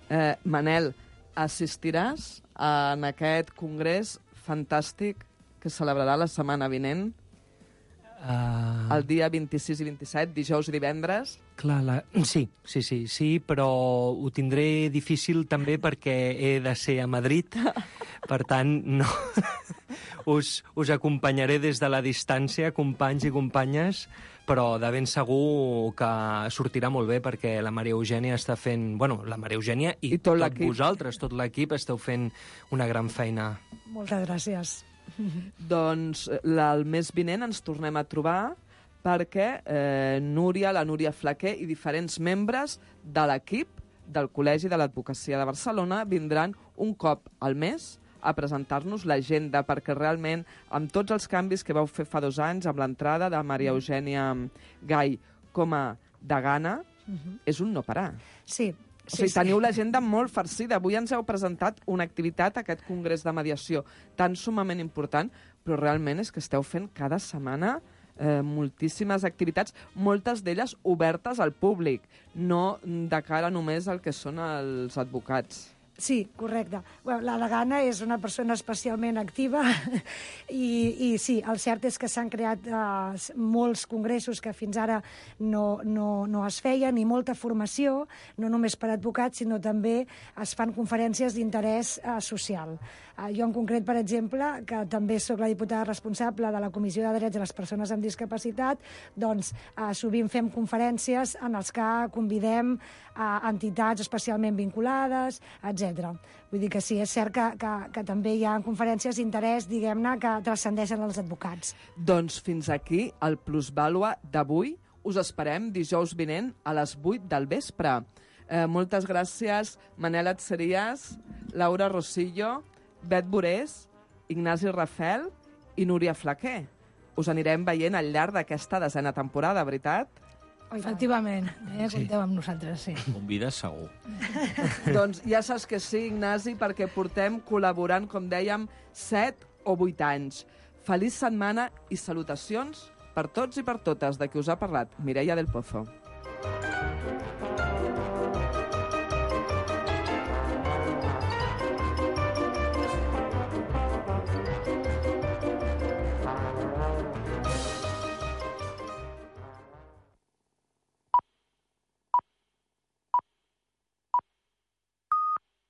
Eh, Manel, assistiràs en aquest congrés fantàstic que celebrarà la setmana vinent? Uh... El dia vint-i-sis i vint-i-set, dijous i divendres? Clar, la... sí, sí, sí, sí, però ho tindré difícil també perquè he de ser a Madrid, per tant, no. us, us acompanyaré des de la distància, companys i companyes, però de ben segur que sortirà molt bé perquè la Maria Eugènia està fent... Bueno, la Maria Eugènia i, I tot, tot l'equip. vosaltres, tot l'equip, esteu fent una gran feina. Moltes gràcies. Doncs la, el mes vinent ens tornem a trobar perquè eh, Núria, la Núria Flaquer i diferents membres de l'equip del Col·legi de l'Advocacia de Barcelona vindran un cop al mes a presentar-nos l'agenda, perquè realment amb tots els canvis que vau fer fa dos anys, amb l'entrada de Maria Eugènia Gai com a degana, uh-huh. és un no parar. Sí. O sigui, sí, teniu sí. l'agenda molt farcida. Avui ens heu presentat una activitat, aquest congrés de mediació, tan sumament important, però realment és que esteu fent cada setmana eh, moltíssimes activitats, moltes d'elles obertes al públic, no de cara només al que són els advocats. Sí, correcte. Bueno, la degana és una persona especialment activa i, i sí, el cert és que s'han creat uh, molts congressos que fins ara no, no, no es feien i molta formació, no només per advocats, sinó també es fan conferències d'interès uh, social. Uh, jo en concret, per exemple, que també sóc la diputada responsable de la Comissió de Drets de les Persones amb Discapacitat, doncs uh, sovint fem conferències en els que convidem a uh, entitats especialment vinculades, etcètera. Vull dir que sí, és cert que, que, que també hi ha conferències d'interès, diguem-ne, que transcendeixen els advocats. Doncs fins aquí el Plusvàlua d'avui. Us esperem dijous vinent a les vuit del vespre. Eh, moltes gràcies, Manel Atzerías, Laura Rosillo, Bet Borés, Ignasi Rafel i Núria Flaquer. Us anirem veient al llarg d'aquesta desena temporada, veritat? Efectivament, eh? Compteu amb nosaltres, sí. Convides segur. Doncs ja saps que sí, Ignasi, perquè portem col·laborant, com dèiem, set o vuit anys. Feliç setmana i salutacions per tots i per totes de qui us ha parlat Mireia del Pozo.